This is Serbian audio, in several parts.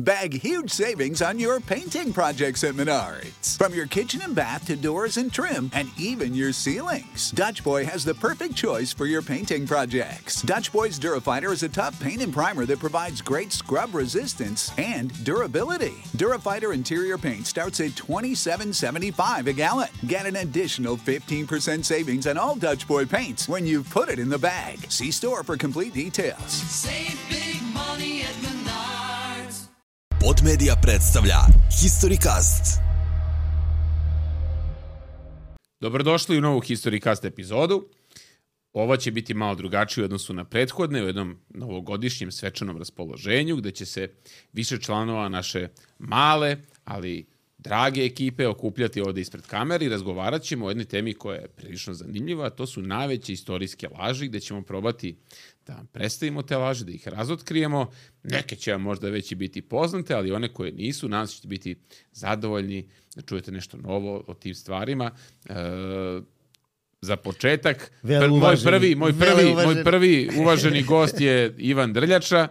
Bag huge savings on your painting projects at Menards. From your kitchen and bath to doors and trim, and even your ceilings. Dutch Boy has the perfect choice for your painting projects. Dutch Boy's Durafighter is a tough paint and primer that provides great scrub resistance and durability. Durafighter interior paint starts at $27.75 a gallon. Get an additional 15% savings on all Dutch Boy paints when you put it in the bag. See store for complete details. Save big money at Menards. Podmedia predstavlja HistoryCast. Dobrodošli u novu HistoryCast epizodu. Ova će biti malo drugačija u odnosu na prethodne, u jednom novogodišnjem svečanom raspoloženju, gde će se više članova naše male, ali drage ekipe okupljati ovde ispred kamere i razgovarat ćemo o jednoj temi koja je prilično zanimljiva, a to su najveće istorijske laži, gde ćemo probati da vam predstavimo te laži, da ih razotkrijemo. Neke će vam možda već i biti poznate, ali one koje nisu, nadam se ćete biti zadovoljni da čujete nešto novo o tim stvarima. Za početak, moj prvi uvaženi gost je Ivan Drljača.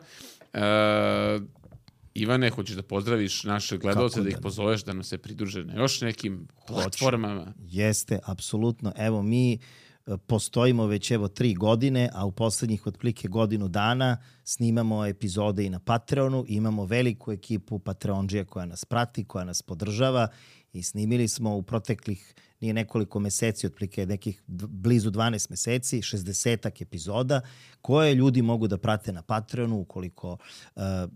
Ivane, hoćeš da pozdraviš naše gledalce, da ih pozoveš da nam se pridruže na još nekim platformama? Jeste, apsolutno. Evo, mi postojimo već 3 godine, a u poslednjih otprilike godinu dana snimamo epizode i na Patreonu. Imamo veliku ekipu Patreondžija koja nas prati, koja nas podržava i snimili smo u proteklih nije nekoliko meseci, otprilike nekih blizu 12 meseci, 60-ak epizoda koje ljudi mogu da prate na Patreonu ukoliko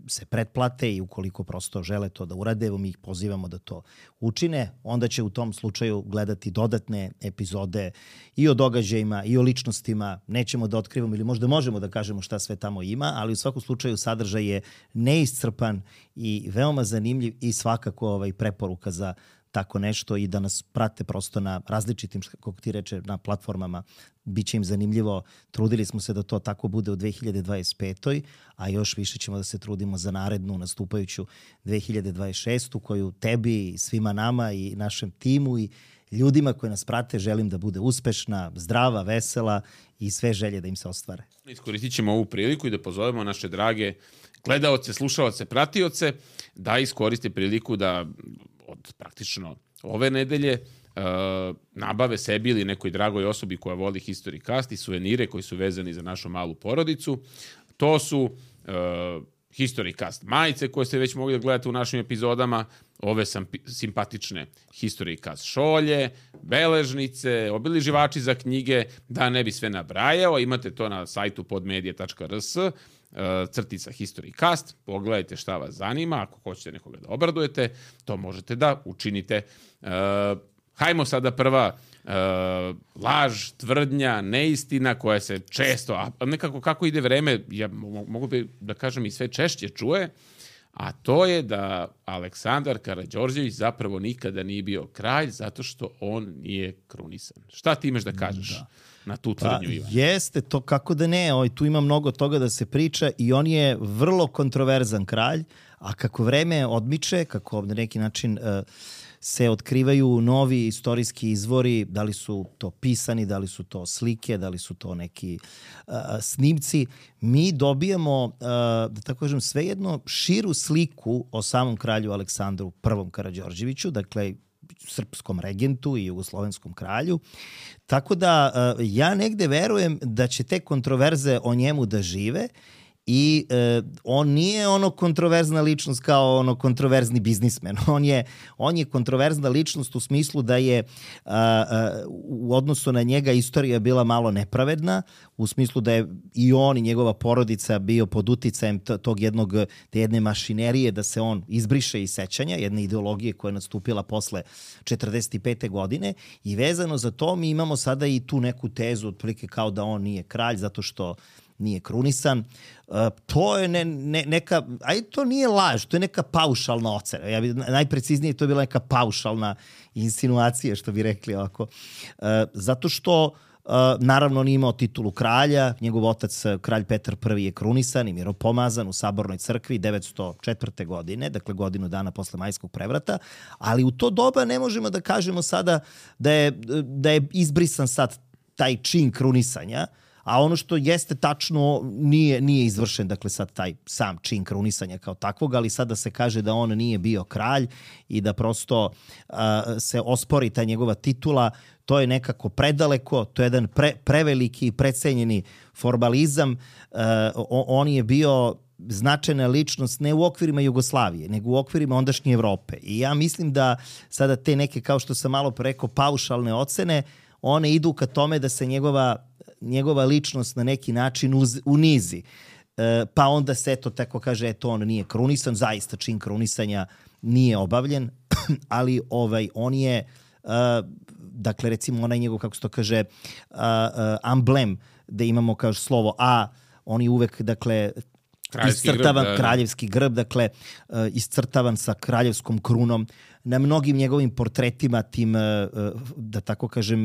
se pretplate i ukoliko prosto žele to da urade. Evo mi ih pozivamo da to učine. Onda će u tom slučaju gledati dodatne epizode i o događajima i o ličnostima. Nećemo da otkrivamo ili možda možemo da kažemo šta sve tamo ima, ali u svakom slučaju sadržaj je neiscrpan i veoma zanimljiv i svakako preporuka za tako nešto i da nas prate prosto na različitim, kako ti reče, na platformama. Biće im zanimljivo. Trudili smo se da to tako bude u 2025. A još više ćemo da se trudimo za narednu nastupajuću 2026. koju tebi i svima nama i našem timu i ljudima koji nas prate želim da bude uspešna, zdrava, vesela i sve želje da im se ostvare. Iskoristit ćemo ovu priliku i da pozovemo naše drage gledaoce, slušaoce, pratioce da iskoriste priliku da od praktično ove nedelje nabave sebi ili nekoj dragoj osobi koja voli HistoryCast i suvenire koji su vezani za našu malu porodicu. To su HistoryCast majice koje ste već mogli da gledate u našim epizodama, ove simpatične HistoryCast šolje, beležnice, obiliživači za knjige, da ne bi sve nabrajao. Imate to na sajtu podmedia.rs, crtica HistoryCast, pogledajte šta vas zanima, ako hoćete nekoga da obradujete, to možete da učinite. Hajmo sada prva laž, tvrdnja, neistina koja se često, a nekako kako ide vreme, ja mogu da kažem i sve češće čuje, a to je da Aleksandar Karađorđević zapravo nikada nije bio kralj zato što on nije krunisan. Šta ti imaš da kažeš na tu tvrdnju, Ivan? Jeste, to kako da ne, tu ima mnogo toga da se priča i on je vrlo kontroverzan kralj, a kako vreme odmiče, kako na neki način se otkrivaju novi istorijski izvori, da li su to pisani, da li su to slike, da li su to neki snimci, mi dobijamo, da tako kažem, svejedno širu sliku o samom kralju Aleksandru I Karađorđeviću, dakle srpskom regentu i jugoslovenskom kralju. Tako da ja negde verujem da će te kontroverze o njemu da žive i on nije kontroverzna ličnost kao kontroverzni biznismen. On je kontroverzna ličnost u smislu da je u odnosu na njega istorija bila malo nepravedna, u smislu da je i on i njegova porodica bio pod uticajem te jedne mašinerije da se on izbriše iz sećanja, jedne ideologije koja je nastupila posle 45. godine i vezano za to mi imamo sada i tu neku tezu otprilike kao da on nije kralj zato što nije krunisan. To je neka, to nije laž, to je neka paušalna ocena. Najpreciznije to je bila neka paušalna insinuacija, što bi rekli ovako. Zato što naravno on je imao titulu kralja, njegov otac kralj Petar I je krunisan i miropomazan u Sabornoj crkvi 904. godine, dakle godinu dana posle Majskog prevrata, ali u to doba ne možemo da kažemo sada da je izbrisan sad taj čin krunisanja, A ono što jeste tačno nije izvršen, dakle sad taj sam čin krunisanja kao takvog, ali sada se kaže da on nije bio kralj i da prosto se ospori ta njegova titula. To je nekako predaleko, to je jedan preveliki i precenjeni formalizam. On je bio značajna ličnost ne u okvirima Jugoslavije, nego u okvirima ondašnje Evrope. I ja mislim da sada te neke, kao što sam malo rekao, paušalne ocene, one idu ka tome da se njegova ličnost na neki način unizi. Pa onda se eto tako kaže, eto on nije krunisan, zaista čin krunisanja nije obavljen, ali on je dakle recimo onaj njegov, kako se to kaže, amblem, da imamo kao slovo A, on je uvek, dakle, iscrtavan kraljevski grb, dakle, iscrtavan sa kraljevskom krunom. Na mnogim njegovim portretima, tim, da tako kažem,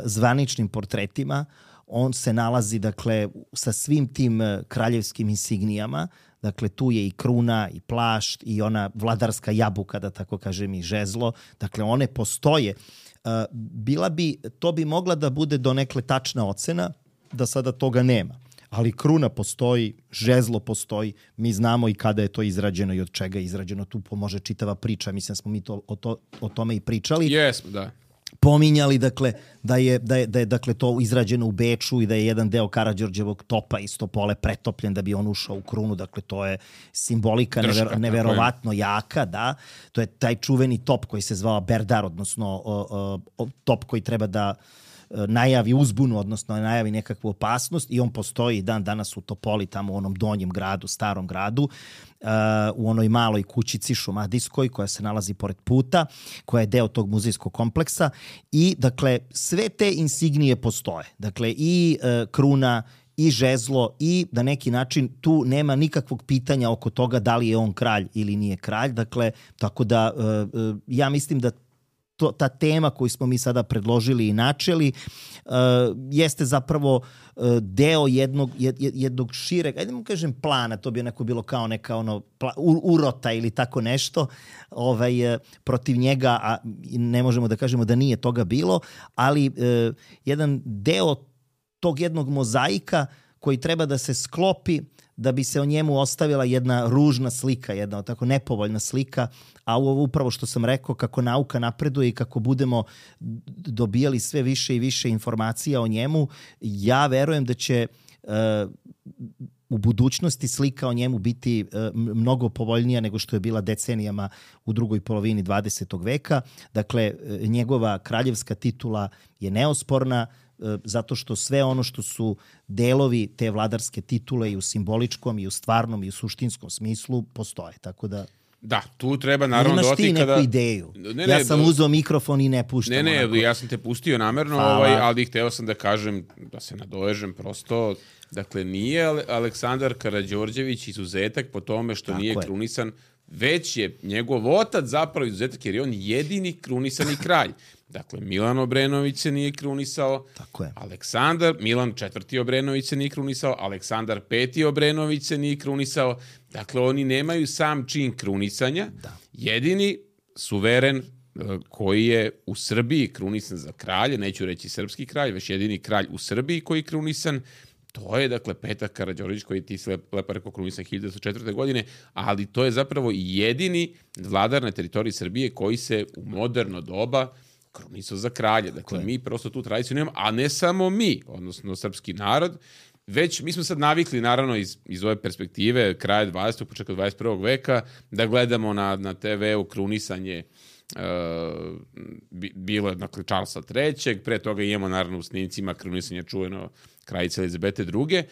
zvaničnim portretima, on se nalazi, dakle, sa svim tim kraljevskim insignijama. Dakle, tu je i kruna, i plašt, i ona vladarska jabuka, da tako kažem, i žezlo. Dakle, one postoje. To bi mogla da bude donekle tačna ocena, da sada toga nema. Ali kruna postoji, žezlo postoji, mi znamo i kada je to izrađeno i od čega je izrađeno. Tu pomože čitava priča, mislim smo mi o tome i pričali. Jesmo, da. Pominjali, dakle, da je dakle, to izrađeno u Beču i da je jedan deo Karađorđevog topa iz Topole pretopljen da bi on ušao u krunu. Dakle, to je simbolika neverovatno jaka, da. To je taj čuveni top koji se zvao Berdar, odnosno top koji treba da najavi uzbunu, odnosno najavi nekakvu opasnost, i on postoji dan danas u Topoli, tamo u onom donjem gradu, starom gradu, u onoj maloj kućici šumadijskoj koja se nalazi pored puta, koja je deo tog muzejskog kompleksa. I dakle sve te insignije postoje. Dakle i kruna, i žezlo, i na neki način tu nema nikakvog pitanja oko toga da li je on kralj ili nije kralj. Dakle, tako da ja mislim da ta tema koju smo mi sada predložili i načeli jeste zapravo deo jednog šireg, ajde mu kažem plana, to bi onako bilo kao neka urota ili tako nešto protiv njega, a ne možemo da kažemo da nije toga bilo, ali jedan deo tog jednog mozaika koji treba da se sklopi da bi se o njemu ostavila jedna ružna slika, jedna tako nepovoljna slika, a ovo upravo što sam rekao, kako nauka napreduje i kako budemo dobijali sve više i više informacija o njemu, ja verujem da će u budućnosti slika o njemu biti mnogo povoljnija nego što je bila decenijama u drugoj polovini 20. veka. Dakle, njegova kraljevska titula je neosporna, zato što sve ono što su delovi te vladarske titule i u simboličkom, i u stvarnom, i u suštinskom smislu postoje. Tako da... Da, tu treba naravno doti kada... Imaš ti neku ideju? Ja sam uzeo mikrofon i ne puštam. Ja sam te pustio namerno, ali hteo sam da kažem, da se nadovežem prosto. Dakle, nije Aleksandar Karađorđević izuzetak po tome što nije krunisan, već je njegov otac zapravo izuzetak, jer je on jedini krunisani kralj. Dakle, Milan Obrenović se nije krunisao, Milan IV. Obrenović se nije krunisao, Aleksandar V. Obrenović se nije krunisao. Dakle, oni nemaju sam čin krunisanja. Da. Jedini suveren koji je u Srbiji krunisan za kralje, neću reći srpski kralj, već jedini kralj u Srbiji koji je krunisan, to je, dakle, Petar Karađorđević, koji ti se lepo rekao krunisan 1904. godine, ali to je zapravo jedini vladar na teritoriji Srbije koji se u moderno doba krunisao za kralje. Dakle, mi prosto tu tradiciju nemamo, a ne samo mi, odnosno srpski narod, već mi smo sad navikli, naravno, iz ove perspektive kraja 20. početka 21. veka, da gledamo na TV-u krunisanje bilo je, dakle, Charlesa III. Pre toga imamo, naravno, u snimcima krunisanja čuveno kraljice Elizabete II.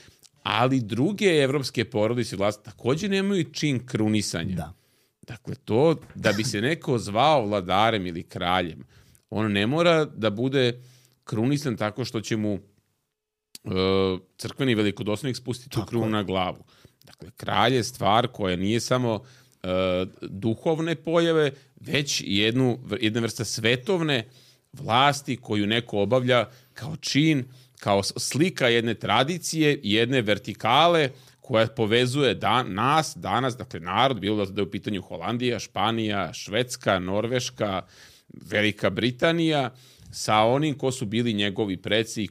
Ali druge evropske porodice vlasti takođe nemaju čin krunisanja. Da. Dakle, to da bi se neko zvao vladarem ili kraljem, on ne mora da bude krunisan tako što će mu crkveni velikodostojnik spustiti tu krunu na glavu. Dakle, kralj je stvar koja nije samo duhovne pojave, već jedna vrsta svetovne vlasti koju neko obavlja kao čin, kao slika jedne tradicije i jedne vertikale koja povezuje nas danas, dakle narod, bilo da je u pitanju Holandija, Španija, Švedska, Norveška, Velika Britanija sa onim ko su bili njegovi preci i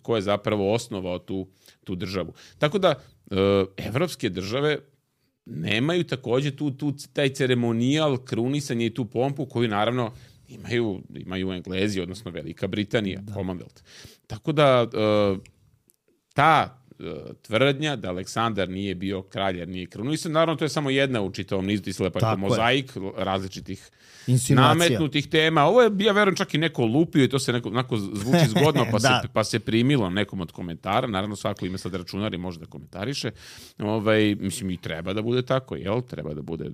ko je zapravo osnovao tu državu. Tako da, evropske države nemaju takođe taj ceremonijal krunisanja i tu pompu koju naravno imaju Englezi, odnosno Velika Britanija, Commonwealth. Tako da ta tvrdnja da Aleksandar nije bio kralj jer nije krunisan, naravno to je samo jedna u čitavom nizu, ti se lepo mozaik različitih nametnutih tema. Ovo je, ja verujem, čak i neko lupio i to se onako zvuči zgodno, pa se primilo nekom od komentara. Naravno, svako ima sad računar i može da komentariše. Mislim, i treba da bude tako, jel? Treba da bude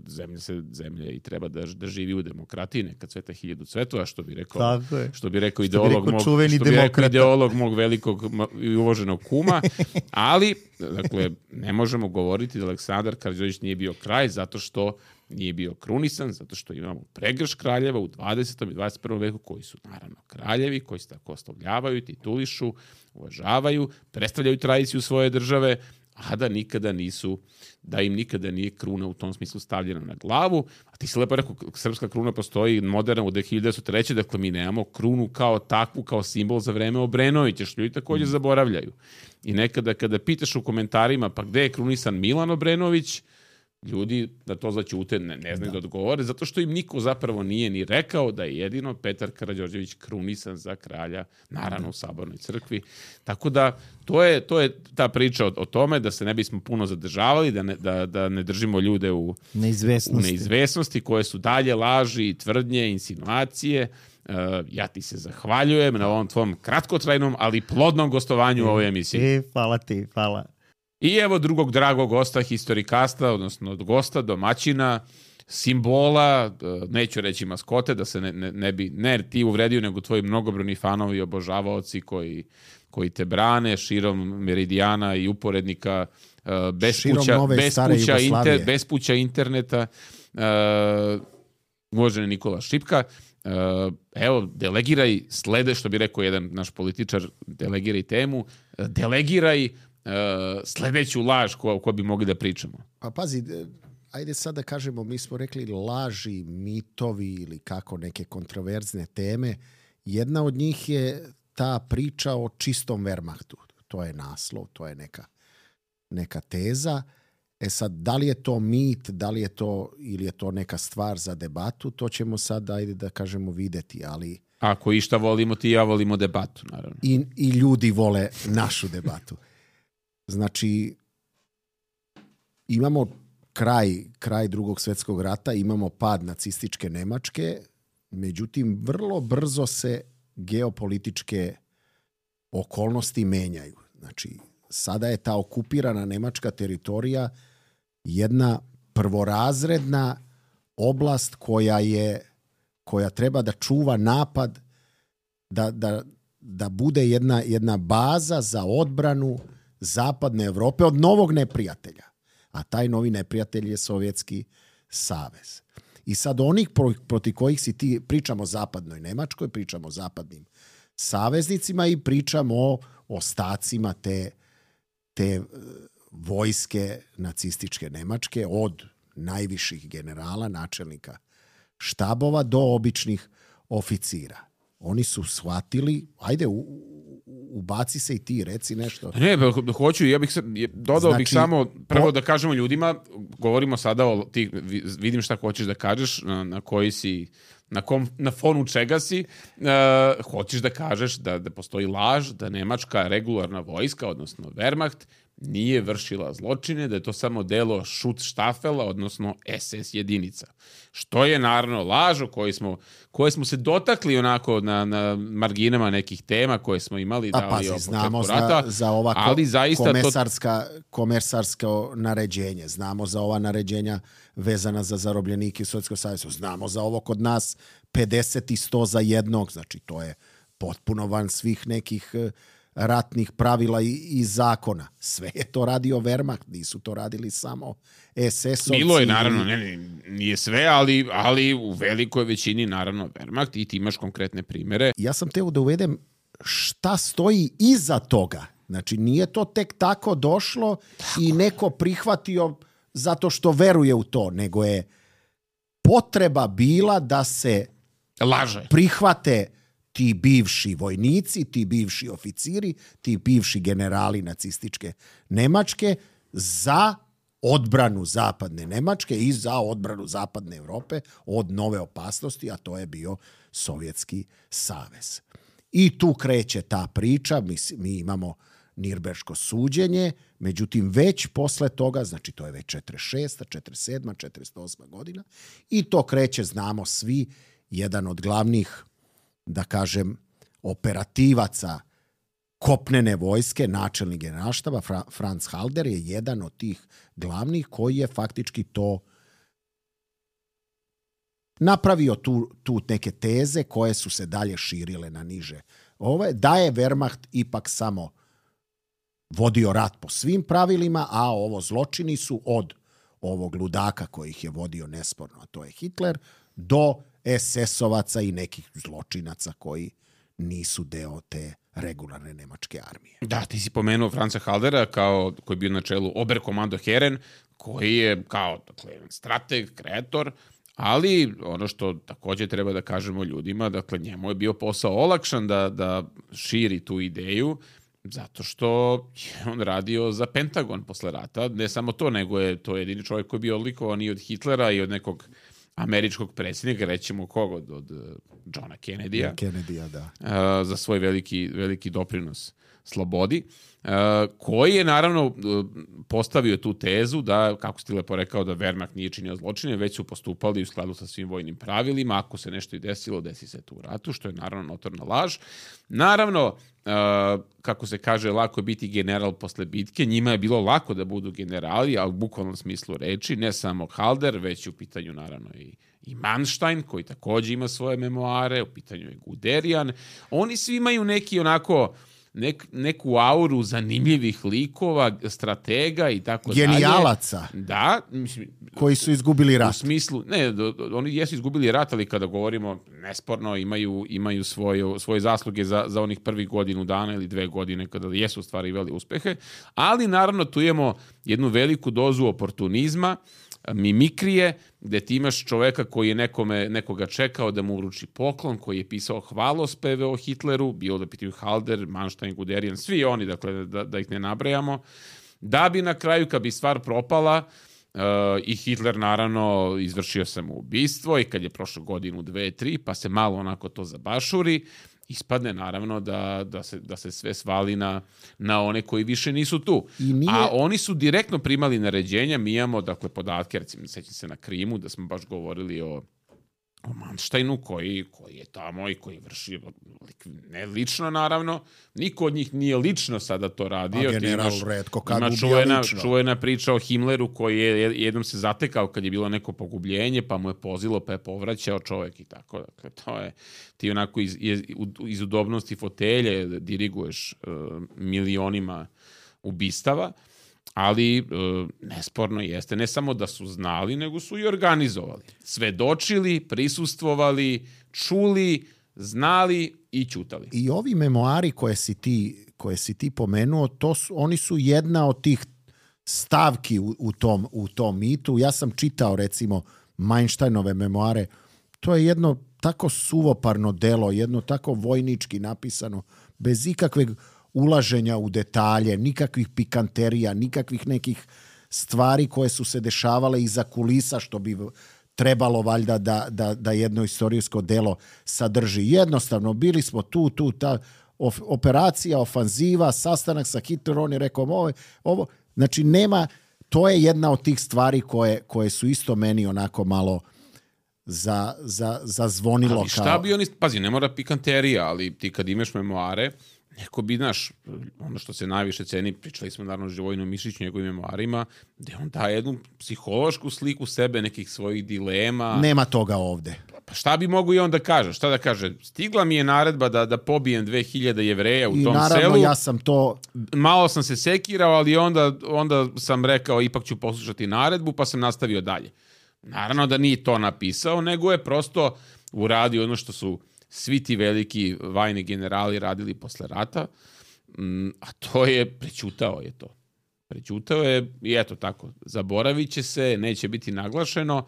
zemlje i treba da živi u demokratiji, neka cveta 1000 cvetova, što bi rekao ideolog mog velikog i uvoženog kuma. Ali, dakle, ne možemo govoriti da Aleksandar Karađorđević nije bio kralj zato što nije bio krunisan, zato što imamo pregrš kraljeva u 20. i 21. veku koji su naravno kraljevi, koji se tako oslovljavaju, titulišu, uvažavaju, predstavljaju tradiciju svoje države, a da im nikada nije kruna u tom smislu stavljena na glavu. A ti si lepo rekao, srpska kruna postoji moderna u 1903. Dakle, mi nemamo krunu kao takvu, kao simbol za vreme Obrenovića, što ljudi također zaboravljaju. I nekada kada pitaš u komentarima, pa gde je krunisan Milan Obrenović, ljudi da to zaćute ne znaju da odgovore, zato što im niko zapravo nije ni rekao da je jedino Petar Karađorđević krunisan za kralja, naravno u Sabornoj crkvi. Tako da to je ta priča o tome da se ne bismo puno zadržavali, da ne držimo ljude u neizvesnosti koje su dalje laži, tvrdnje, insinuacije. Ja ti se zahvaljujem na ovom tvom kratkotrajnom, ali plodnom gostovanju u ovoj emisiji. Hvala ti, hvala. I evo drugog dragog gosta historikasta, odnosno od gosta, domaćina, simbola, neću reći maskote, da se ne ti uvredio, nego tvoji mnogobrojni fanovi i obožavaoci koji te brane širom meridijana i uporednika, bespuća interneta, uvaženi Nikola Šipka. Evo, delegiraj što bi rekao jedan naš političar, delegiraj temu, delegiraj sledeću laž koju bi mogli da pričamo. Pa pazi, ajde sad da kažemo, mi smo rekli laži, mitovi ili kako neke kontroverzne teme. Jedna od njih je ta priča o čistom Wehrmachtu. To je naslov, to je neka teza. Sad, da li je to mit, da li je to ili je to neka stvar za debatu, to ćemo sad, ajde da kažemo, videti, ali... Ako išta volimo, ti i ja volimo debatu, naravno. I ljudi vole našu debatu. Znači, imamo kraj Drugog svjetskog rata, imamo pad nacističke Nemačke, međutim, vrlo brzo se geopolitičke okolnosti menjaju. Znači, sada je ta okupirana nemačka teritorija jedna prvorazredna oblast koja treba da čuva napad, da bude jedna baza za odbranu zapadne Evrope od novog neprijatelja. A taj novi neprijatelj je Sovjetski savez. I sad onih proti kojih si ti, pričamo o zapadnoj Nemačkoj, pričamo o zapadnim saveznicima i pričamo o ostacima te vojske nacističke Nemačke, od najviših generala, načelnika štabova do običnih oficira. Oni su shvatili, ajde, ubaci se i ti, reci nešto. Ne, hoću, dodao bih samo, prvo da kažemo ljudima, govorimo sada vidim šta hoćeš da kažeš, na koji si, na fonu čega si, hoćeš da kažeš da postoji laž, da nemačka regularna vojska, odnosno Wehrmacht, nije vršila zločine, da je to samo delo Schutzstaffela, odnosno SS jedinica. Što je naravno laž o koje smo se dotakli onako na marginama nekih tema koje smo imali. Znamo za ova komesarsko naređenje, znamo za ova naređenja vezana za zarobljenike u Sovjetskom savezu, znamo za ovo kod nas 50 i 100 za jednog, znači to je potpuno van svih nekih ratnih pravila i zakona. Sve je to radio Wehrmacht, nisu to radili samo SS-ovci. Bilo je, naravno, nije sve, ali u velikoj većini, naravno, Wehrmacht, i ti imaš konkretne primere. Ja sam teo da uvedem šta stoji iza toga. Znači, nije to tek tako došlo i neko prihvatio zato što veruje u to, nego je potreba bila da se laže. prihvate ti bivši vojnici, ti bivši oficiri, ti bivši generali nacističke Nemačke za odbranu zapadne Nemačke i za odbranu zapadne Evrope od nove opasnosti, a to je bio Sovjetski savez. I tu kreće ta priča, mi imamo Nirnberško suđenje, međutim već posle toga, znači to je već 46. 47. 48. godina, i to kreće, znamo svi, jedan od glavnih, da kažem, operativaca kopnene vojske, načelnik generalštaba, Franz Halder, je jedan od tih glavnih koji je faktički to napravio tu neke teze koje su se dalje širile na niže. Da je Wehrmacht ipak samo vodio rat po svim pravilima, a ovo zločini su od ovog ludaka koji ih je vodio nesporno, a to je Hitler, do SS-ovaca i nekih zločinaca koji nisu deo te regularne nemačke armije. Da, ti si pomenuo Franza Haldera koji je bio na čelu Oberkommando Heeren, koji je kao strateg, kreator, ali ono što također treba da kažemo ljudima, dakle njemu je bio posao olakšan da širi tu ideju, zato što je on radio za Pentagon posle rata. Ne samo to, nego je to jedini čovjek koji je bio odlikovan i od Hitlera i od nekog američkog predsjednika, rećemo kog, od Johna Kennedya. Kennedya, da. Za svoj veliki doprinos slobodi, koji je naravno postavio tu tezu da, kako si lepo rekao, da Wehrmacht nije činio zločine, već su postupali u skladu sa svim vojnim pravilima. Ako se nešto i desilo, desi se to u ratu, što je naravno notorna laž. Naravno, kako se kaže, lako je biti general posle bitke. Njima je bilo lako da budu generali, ali u bukvalnom smislu reči, ne samo Halder, već u pitanju naravno i Manstein, koji također ima svoje memoare, u pitanju je Guderian. Oni svi imaju neki onako neku auru zanimljivih likova, stratega i tako dalje. Genijalaca. Da. Koji su izgubili rat. U smislu, ne, oni jesu izgubili rat, ali kada govorimo nesporno imaju svoje zasluge za onih prvih godinu dana ili 2 godine kada jesu ostvarivali uspehe, ali naravno tu imamo jednu veliku dozu oportunizma, mimikrije, gde ti imaš čoveka koji je nekoga čekao da mu uruči poklon, koji je pisao hvalospeve o Hitleru, bilo da pitaju Halder, Manstein, Guderian, svi oni, dakle, da ih ne nabrajamo, da bi na kraju, kad bi stvar propala, i Hitler naravno izvršio samoubistvo i kad je prošlo godinu, 2, 3, pa se malo onako to zabašuri, ispadne naravno da se sve svali na one koji više nisu tu. A oni su direktno primali naređenja. Mi imamo, dakle, podatke, recimo, sećam se na Krimu, da smo baš govorili o Mansteinu koji je tamo i koji vrši, ne lično naravno, niko od njih nije lično sada to radio. A general retko kad ima ubija lično. čuvena priča o Himmleru koji je jednom se zatekao kad je bilo neko pogubljenje, pa mu je pozilo, pa je povraćao čovjek i tako. Dakle, to je, ti onako iz udobnosti fotelje diriguješ milionima ubistava, ali nesporno jeste, ne samo da su znali, nego su i organizovali. Svedočili, prisustvovali, čuli, znali i ćutali. I ovi memoari koje si ti pomenuo, oni su jedna od tih stavki u tom mitu. Ja sam čitao, recimo, Mansteinove memoare. To je jedno tako suvoparno delo, jedno tako vojnički napisano, bez ikakveg ulaženja u detalje, nikakvih pikanterija, nikakvih nekih stvari koje su se dešavale iza kulisa, što bi trebalo valjda da jedno istorijsko delo sadrži. Jednostavno, bili smo tu, ta operacija, ofanziva, sastanak sa Hitlerom, on je rekao ovo. Znači, nema, to je jedna od tih stvari koje su isto meni onako malo zazvonilo. Ali šta bi oni, pazi, ne mora pikanterija, ali ti kad imaš memoare, neko bi, znaš, ono što se najviše ceni, pričali smo naravno o Živojinu Mišiću, njegovim memoarima, gde on daje jednu psihološku sliku sebe, nekih svojih dilema. Nema toga ovde. Pa šta bi mogu i on da kaže? Šta da kaže? Stigla mi je naredba da pobijem 2000 Jevreja u tom selu. I naravno ja sam to... Malo sam se sekirao, ali onda sam rekao ipak ću poslušati naredbu, pa sam nastavio dalje. Naravno da nije to napisao, nego je prosto uradio ono što su svi ti veliki vajni generali radili posle rata, a to je, prećutao je to. Prećutao je i eto tako, zaboravit će se, neće biti naglašeno.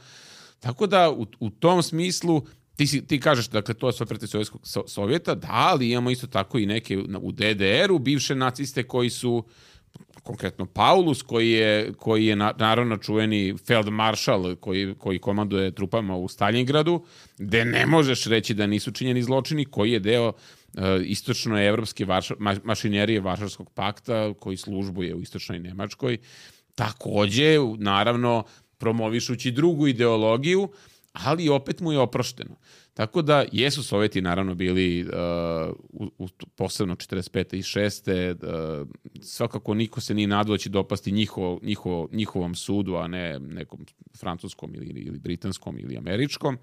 Tako da u tom smislu ti kažeš, dakle, to je sve protiv Sovjeta, da, ali imamo isto tako i neke u DDR-u bivše naciste koji su, konkretno Paulus, koji je naravno čuveni feldmaršal koji komanduje trupama u Stalingradu, gde ne možeš reći da nisu činjeni zločini, koji je deo istočnoevropske mašinerije Varšavskog pakta, koji službuje u istočnoj Nemačkoj, takođe, naravno, promovišući drugu ideologiju, ali opet mu je oprošteno. Tako da jesu Sovjeti naravno bili posebno 45. i 6. Svakako niko se nije nadao da će dopasti njihovom sudu, a ne nekom francuskom ili britanskom ili američkom,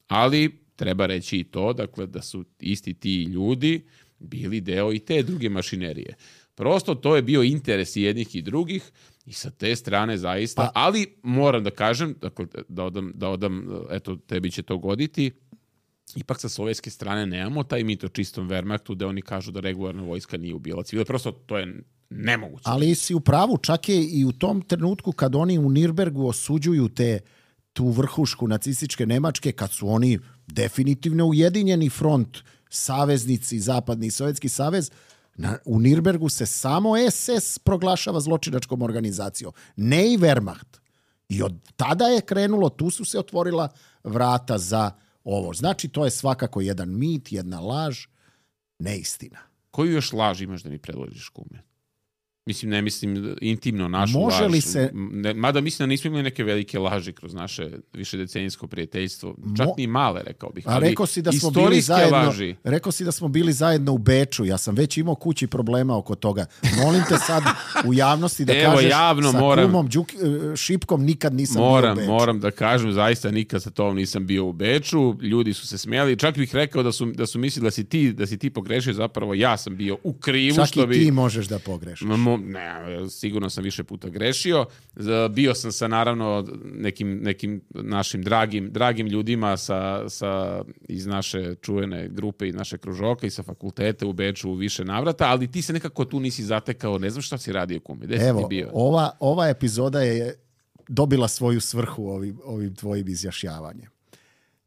ali treba reći i to, dakle, da su isti ti ljudi bili deo i te druge mašinerije. Prosto to je bio interes i jednih i drugih i sa te strane zaista, ali moram da kažem, dakle, da odam, eto, tebi će to goditi, ipak sa sovjetske strane nemamo taj mit o čistom Wehrmachtu gde oni kažu da regularna vojska nije ubila civile. Prosto to je nemoguće. Ali si u pravu, čak je i u tom trenutku kad oni u Nirnbergu osuđuju tu vrhušku nacističke Nemačke, kad su oni definitivno ujedinjeni front, saveznici, Zapadni i Sovjetski savez, u Nirnbergu se samo SS proglašava zločinačkom organizacijom, ne i Wehrmacht. I od tada je krenulo, tu su se otvorila vrata za ovo. Znači, to je svakako jedan mit, jedna laž, neistina. Koju još laž imaš da mi predložiš, kume? Mislim, ne mislim intimno našu Može laž. li se... Mada mislim da nismo imali neke velike laži kroz naše višedecenijsko prijateljstvo. Čak ni male, rekao bih. A rekao si da smo bili zajedno, rekao si da smo bili zajedno u Beču. Ja sam već imao kući problema oko toga. Molim te sad u javnosti da kažeš javno sa kumom Šipkom nikad nisam bio u Beču. Moram da kažem, zaista nikad sa tom nisam bio u Beču. Ljudi su se smijali. Čak bih rekao da su mislili da si ti pogrešio. Zapravo ja sam bio u krivu. Čak i ti možeš da pogrešiš. Ne, sigurno sam više puta grešio. Bio sam sa, naravno, nekim našim dragim ljudima iz naše čuvene grupe i naše kružoka i sa fakulteta u Beču u više navrata, ali ti se nekako tu nisi zatekao, ne znam šta si radio, kume. Gde si ti bio? Ova epizoda je dobila svoju svrhu ovim tvojim izjašnjavanjem.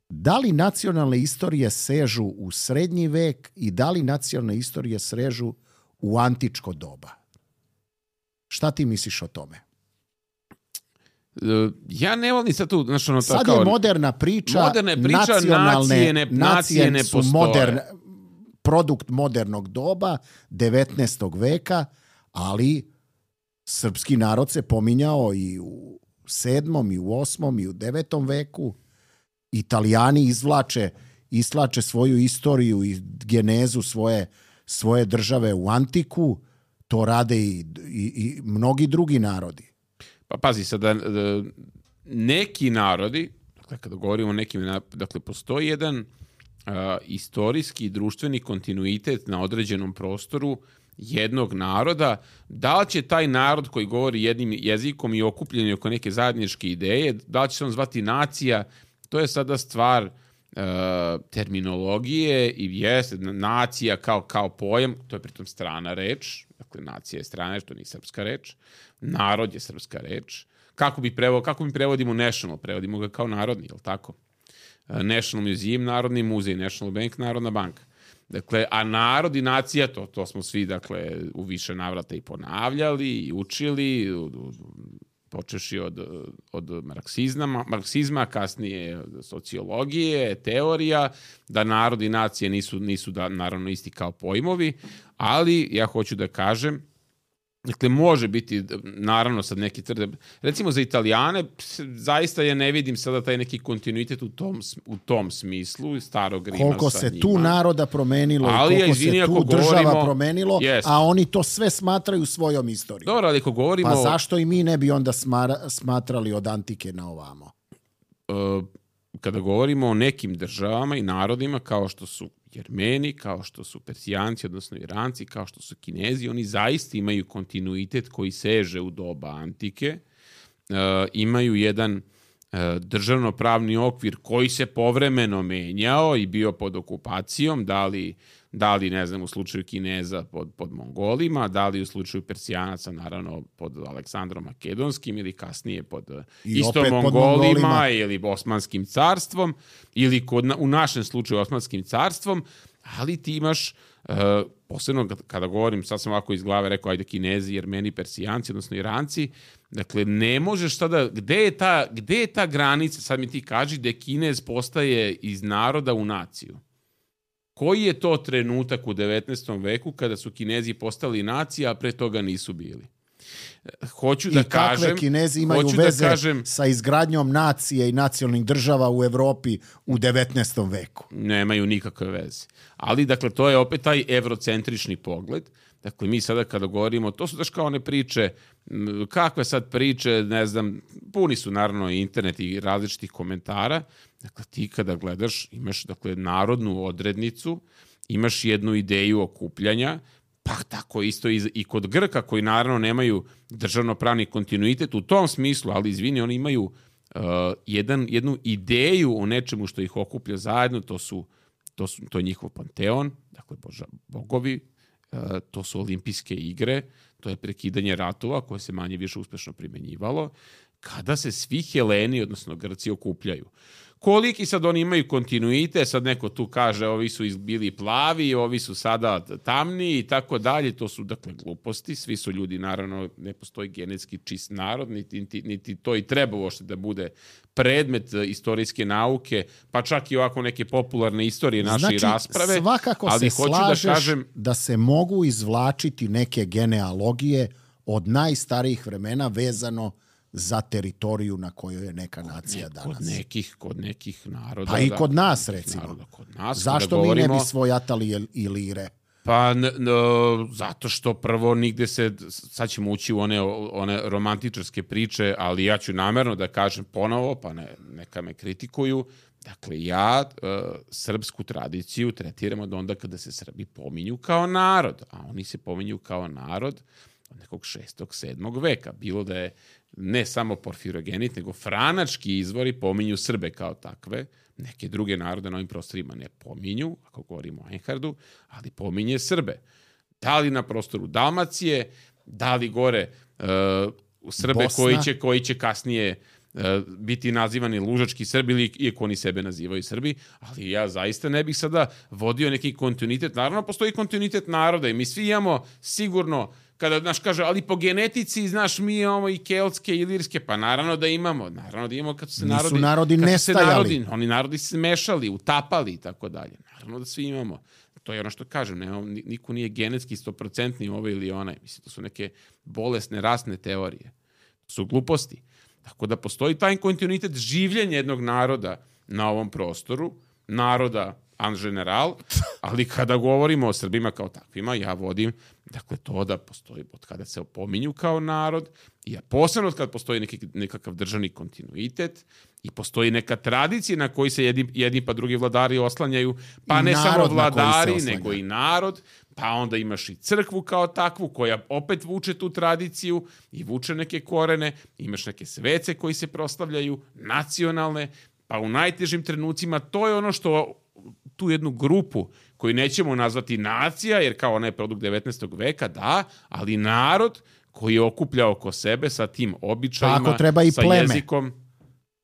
Da li nacionalne istorije sežu u srednji vek i da li nacionalne istorije sežu u antičko doba? Šta ti misliš o tome? Ja ne volim sad tu... Sad je moderna priča nacije ne postoje. Produkt modernog doba, 19. veka, ali srpski narod se pominjao i u 7. i u 8. i u 9. veku. Italijani izvlače svoju istoriju i genezu svoje države u antiku. To rade i mnogi drugi narodi. Pa pazi, sada neki narodi, dakle, kada govorimo o nekim, dakle, postoji jedan istorijski i društveni kontinuitet na određenom prostoru jednog naroda. Da li će taj narod koji govori jednim jezikom i okupljen oko neke zajedničke ideje, da li će se on zvati nacija, to je sada stvar terminologije i nacija kao pojam, to je pritom strana reč, dakle nacija je strana reč, to nije srpska reč, narod je srpska reč. Kako mi prevodimo national? Prevodimo ga kao narodni, je li tako? National Museum, Narodni muzej, National Bank, Narodna banka. Dakle, a narod i nacija, to smo svi, dakle, u više navrata i ponavljali i učili, počeši od marksizma, kasnije sociologije, teorija, da narod i nacije nisu naravno isti kao pojmovi, ali ja hoću da kažem, dakle, može biti, naravno, sad neki recimo za Italijane, zaista ja ne vidim sada taj neki kontinuitet u tom smislu, starog Rima koliko sa se njima. tu naroda promenilo i koliko se tu država promenilo, a oni to sve smatraju svojom istorijom. Dobro, ali ako govorimo... Pa zašto i mi ne bi onda smatrali od antike na ovamo? Kada govorimo o nekim državama i narodima kao što su Jermeni, kao što su Persijanci, odnosno Iranci, kao što su Kinezi, oni zaista imaju kontinuitet koji seže u doba antike, imaju jedan državno-pravni okvir koji se povremeno menjao i bio pod okupacijom, da li ne znam, u slučaju Kineza pod Mongolima, da li u slučaju Persijanaca, naravno, pod Aleksandrom Makedonskim ili kasnije pod isto Mongolima ili Osmanskim carstvom ili u našem slučaju Osmanskim carstvom, ali ti imaš, posebno kada govorim, sad sam ovako iz glave rekao, ajde Kinezi, Jermeni, Persijanci, odnosno Iranci, dakle, ne možeš tada, gde je ta granica, sad mi ti kaži da Kinez postaje iz naroda u naciju. Koji je to trenutak u 19. veku kada su Kinezi postali nacija, a pre toga nisu bili? Hoću da kažem... I kakve Kinezi imaju veze sa izgradnjom nacije i nacionalnih država u Evropi u 19. veku? Nemaju nikakve veze. Ali, dakle, to je opet taj evrocentrični pogled. Dakle, mi sada kada govorimo, to su daš kao one priče, kakve sad priče, ne znam, puni su naravno i internet i različitih komentara. Dakle, ti kada gledaš, imaš dakle, narodnu odrednicu, imaš jednu ideju okupljanja, pa tako isto i kod Grka koji naravno nemaju državno-pravni kontinuitet u tom smislu, ali izvini, oni imaju jednu ideju o nečemu što ih okuplja zajedno, to je njihov panteon, dakle bogovi, to su olimpijske igre, to je prekidanje ratova koje se manje više uspešno primenjivalo, kada se svi Heleni, odnosno Grci, okupljaju. Koliki sad oni imaju kontinuitet, sad neko tu kaže ovi su bili plavi, ovi su sada tamni i tako dalje, to su dakle gluposti, svi su ljudi, naravno ne postoji genetski čist narod, niti to i treba uopšte da bude predmet istorijske nauke, pa čak i ovako neke popularne istorije naše rasprave. Znači, svakako ali se slažeš da se mogu izvlačiti neke genealogije od najstarijih vremena vezano za teritoriju na kojoj je neka nacija danas. Kod nekih naroda. Pa i kod nas, recimo. Zašto mi ne bi svojatali Ilire? Pa zato što prvo nigde sad ćemo ući u one romantičarske priče, ali ja ću namerno da kažem ponovo, pa neka me kritikuju. Dakle, ja srpsku tradiciju tretiram od onda kada se Srbi pominju kao narod, a oni se pominju kao narod od nekog 6. 7. veka. Bilo da je ne samo porfirogenit, nego franački izvori pominju Srbe kao takve. Neke druge narode na ovim prostorima ne pominju, ako govorimo o Einhardu, ali pominje Srbe. Da li na prostoru Dalmacije, da li gore Srbe koji će kasnije biti nazivani lužački Srbi, ili iako oni sebe nazivaju Srbi, ali ja zaista ne bih sada vodio neki kontinuitet. Naravno, postoji kontinuitet naroda i mi svi imamo sigurno, kada naš kaže, ali po genetici, znaš, mi imamo i keltske i ilirske, pa naravno da imamo kad su se nisu narodi nestajali. Oni narodi se mešali, utapali i tako dalje. Naravno da svi imamo. To je ono što kažem, niko nije genetski 100% ovaj ili onaj. Mislim, to su neke bolesne rasne teorije. To su gluposti. Tako da postoji taj kontinuitet življenja jednog naroda na ovom prostoru, naroda en general, ali kada govorimo o Srbima kao takvima, ja vodim dakle to da postoji od kada se opominju kao narod, i posebno od kada postoji nekakav državni kontinuitet i postoji neka tradicija na koji se jedni pa drugi vladari oslanjaju, pa ne samo vladari, nego i narod, pa onda imaš i crkvu kao takvu koja opet vuče tu tradiciju i vuče neke korene, imaš neke svece koji se proslavljaju, nacionalne, pa u najtežim trenucima to je ono što tu jednu grupu koju nećemo nazvati nacija, jer kao ona je produkt 19. veka, da, ali narod koji je okuplja oko sebe sa tim običajima, sa jezikom.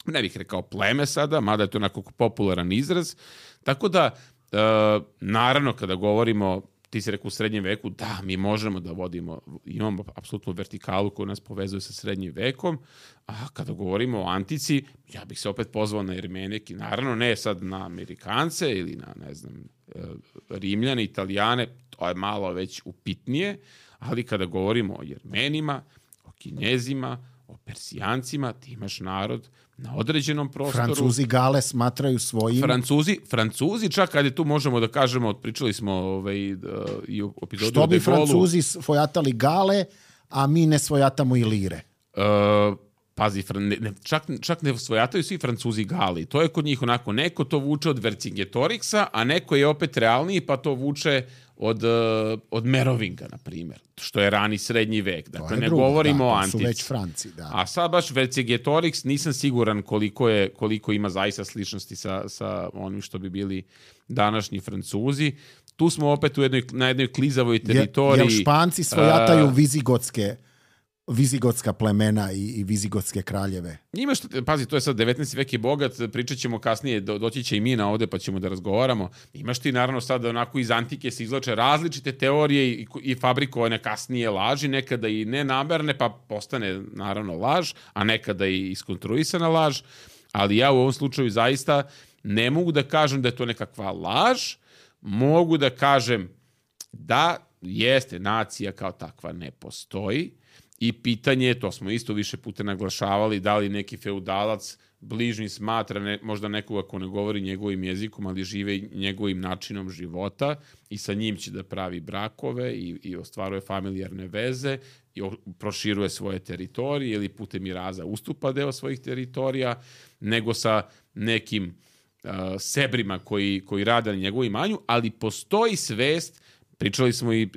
Ne bih rekao pleme sada, mada je to onako popularan izraz. Tako da, naravno, kada govorimo, ti si rekao u srednjem veku, da, mi možemo da vodimo, imamo apsolutnu vertikalu koja nas povezuje sa srednjim vekom, a kada govorimo o antici, ja bih se opet pozvao na Jermenike, naravno ne sad na Amerikance ili na, ne znam, Rimljane, Italijane, to je malo već upitnije, ali kada govorimo o Jermenima, o Kinezima, o Persijancima, ti imaš narod na određenom prostoru. Francuzi Gale smatraju svojim. Francuzi, čak kada tu možemo da kažemo, pričali smo i o epizodu. Što bi Francuzi svojatali Gale, a mi ne svojatamo Ilire? pazi, čak ne svojataju svi Francuzi Gali. To je kod njih onako, neko to vuče od Vercingetoriksa, a neko je opet realniji pa to vuče od Merovinga, na primjer, što je rani srednji vek. Dakle, ne govorimo o antici. To su već Franci, da. A sad baš Vercingetorix nisam siguran koliko ima zaista sličnosti sa onim što bi bili današnji Francuzi. Tu smo opet na jednoj klizavoj teritoriji. Jer Španci svojataju vizigotska plemena i vizigotske kraljeve. Pazi, to je sad 19. vek je bogat, pričat ćemo kasnije, doći će i Mina ovde pa ćemo da razgovaramo. Imaš ti naravno sad onako iz antike se izvlače različite teorije i fabrikovane kasnije laži, nekada i nenamerne pa postane naravno laž, a nekada i iskonstruisana laž, ali ja u ovom slučaju zaista ne mogu da kažem da je to nekakva laž, mogu da kažem da jeste, nacija kao takva ne postoji. I pitanje, to smo isto više puta naglašavali, da li neki feudalac bližnji smatra možda nekoga ko ne govori njegovim jezikom, ali žive njegovim načinom života i sa njim će da pravi brakove i ostvaruje familijarne veze i proširuje svoje teritorije ili putem miraza ustupa deo svojih teritorija, nego sa nekim sebrima koji rade na njegovom imanju, ali postoji svest. Pričali smo i,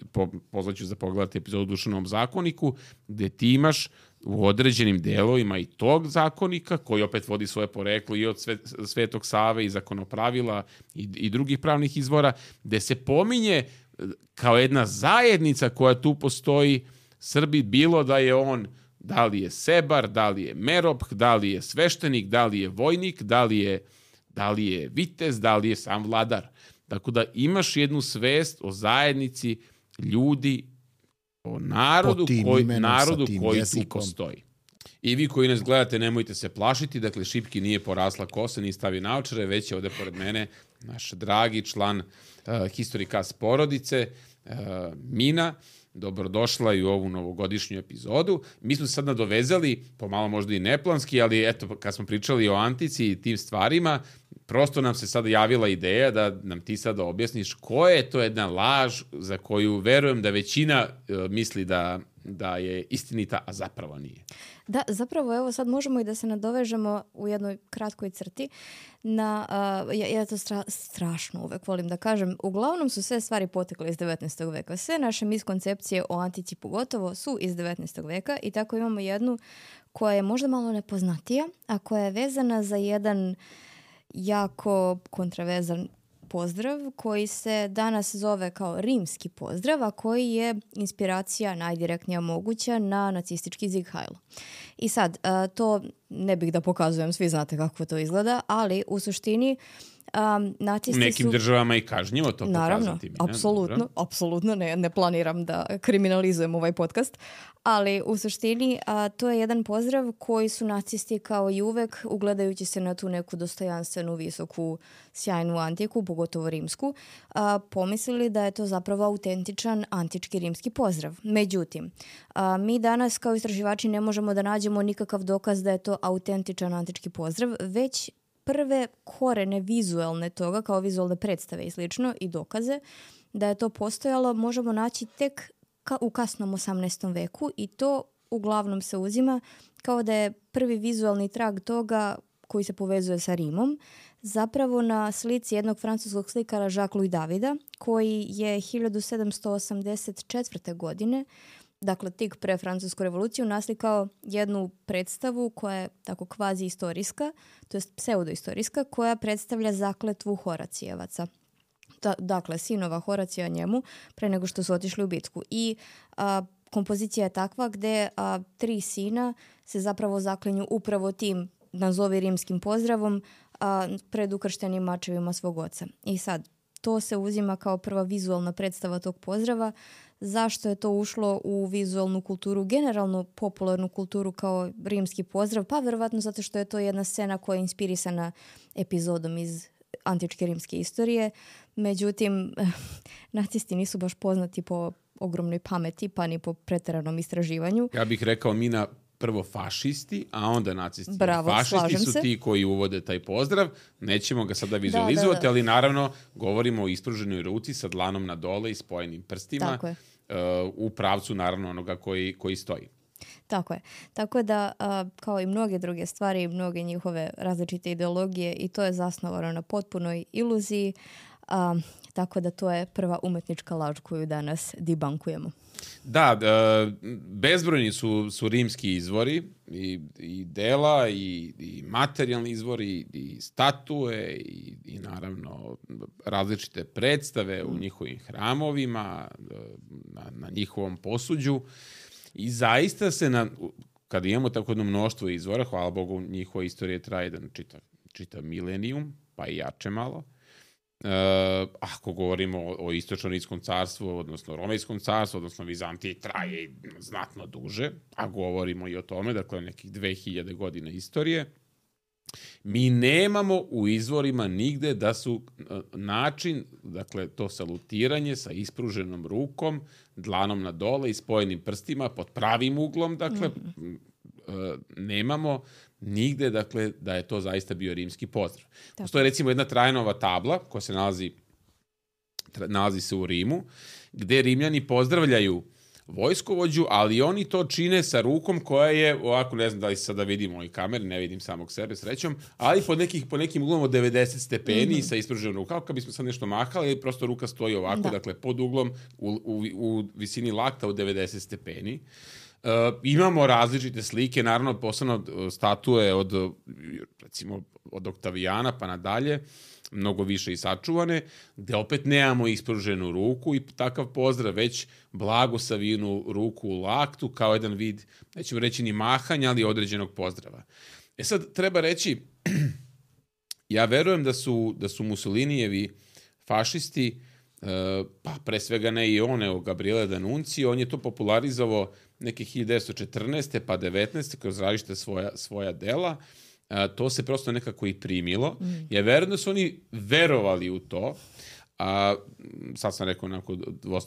pozvaću za pogledati epizodu o Dušanom zakoniku, gde ti imaš u određenim delovima i tog zakonika, koji opet vodi svoje poreklo i od Svetog Save i zakonopravila i drugih pravnih izvora, gde se pominje kao jedna zajednica koja tu postoji Srbi, bilo da je on, da li je sebar, da li je merop, da li je sveštenik, da li je vojnik, da li je vitez, da li je sam vladar. Tako da imaš jednu svest o zajednici ljudi, o narodu koji tu postoji. I vi koji nas gledate, nemojte se plašiti, dakle Šipki nije porasla kosa, nije stavi naočare, već je ovde pored mene naš dragi član Historicast porodice, Mina. Dobrodošla i u ovu novogodišnju epizodu. Mi smo se sad nadovezali, pomalo možda i neplanski, ali eto, kad smo pričali o antici i tim stvarima, prosto nam se sada javila ideja da nam ti sada objasniš koja je to jedna laž za koju verujem da većina misli da je istinita, a zapravo nije. Da, zapravo evo sad možemo i da se nadovežemo u jednoj kratkoj crti na, ja to strašno uvek volim da kažem, uglavnom su sve stvari potekle iz 19. veka. Sve naše miskoncepcije o antici pogotovo su iz 19. veka i tako imamo jednu koja je možda malo nepoznatija, a koja je vezana za jedan jako kontraverzan pozdrav koji se danas zove kao rimski pozdrav, a koji je inspiracija najdirektnija moguća na nacistički Sieg Heil. I sad, to ne bih da pokazujem, svi znate kako to izgleda, ali u suštini nacisti nekim državama i kažnjivo to pokazati. Naravno, apsolutno ne planiram da kriminalizujem ovaj podcast, ali u suštini to je jedan pozdrav koji su nacisti kao i uvek, ugledajući se na tu neku dostojanstvenu, visoku, sjajnu antiku, pogotovo rimsku, pomislili da je to zapravo autentičan antički rimski pozdrav. Međutim, mi danas kao istraživači ne možemo da nađemo nikakav dokaz da je to autentičan antički pozdrav, već prve korene vizualne toga, kao vizualne predstave i slično, i dokaze da je to postojalo, možemo naći tek u kasnom 18. veku i to uglavnom se uzima kao da je prvi vizualni trag toga koji se povezuje sa Rimom, zapravo na slici jednog francuskog slikara Jacques-Louis Davida, koji je 1784. godine, dakle tik pre Francusku revoluciju, naslikao jednu predstavu koja je tako kvazi istorijska, to jest pseudoistorijska, koja predstavlja zakletvu Horacijevaca. Dakle, sinova Horacija njemu pre nego što su otišli u bitku. I kompozicija je takva gde 3 sina se zapravo zaklinju upravo tim, nazovi rimskim pozdravom, pred ukrštenim mačevima svog oca. I sad, to se uzima kao prva vizualna predstava tog pozdrava. Zašto je to ušlo u vizualnu kulturu, generalno popularnu kulturu kao rimski pozdrav? Pa verovatno zato što je to jedna scena koja je inspirisana epizodom iz antičke rimske istorije. Međutim, nacisti nisu baš poznati po ogromnoj pameti, pa ni po preteranom istraživanju. Ja bih rekao Mina, prvo fašisti, a onda nacisti. Bravo, fašisti su ti koji uvode taj pozdrav. Nećemo ga sada vizualizovati, ali naravno govorimo o ispruženoj ruci sa dlanom na dole i spojenim prstima u pravcu naravno onoga koji stoji. Tako je. Tako da, kao i mnoge druge stvari, mnoge njihove različite ideologije, i to je zasnovano na potpunoj iluziji, tako da to je prva umetnička laž koju danas debunkujemo. Da, bezbrojni su rimski izvori i dela i materijalni izvori i statue i naravno različite predstave u njihovim hramovima, na njihovom posuđu. I zaista se, kada imamo tako jedno mnoštvo izvora, hvala Bogu, njihova istorija traje jedan čitav milenijum, pa i jače malo. Ako govorimo o istočno-rimskom carstvu, odnosno romejskom carstvu, odnosno Vizantiji, traje znatno duže, a govorimo i o tome, dakle, nekih 2000 godina istorije. Mi nemamo u izvorima nigde da su način, dakle, to salutiranje sa ispruženom rukom, dlanom na dole i spojenim prstima pod pravim uglom, dakle, nemamo nigde, dakle, da je to zaista bio rimski pozdrav. Postoji recimo jedna Trajanova tabla koja se nalazi se u Rimu, gde Rimljani pozdravljaju vojskovođu, ali oni to čine sa rukom koja je, ovako, ne znam da li se sada vidimo ovoj kameri, ne vidim samog sebe srećom, ali po nekim uglom od 90 stepeni sa ispruženom rukom, kao kad bismo sad nešto mahali, prosto ruka stoji ovako, dakle, pod uglom u visini lakta od 90 stepeni. Imamo različite slike, naravno posebno statue recimo od Oktavijana pa nadalje, mnogo više i sačuvane, gde opet nemamo ispruženu ruku i takav pozdrav, već blago savijenu ruku u laktu kao jedan vid, nećemo reći ni mahanja, ali određenog pozdrava. Sad treba reći, ja verujem da su Mussolinijevi fašisti, pa pre svega ne i on, nego Gabriele D'Annunzio, on je to popularizovao neke 1914. pa 19. kroz različite svoja dela. To se prosto nekako i primilo. Ja verujem da su oni verovali u to. Sad sam rekao,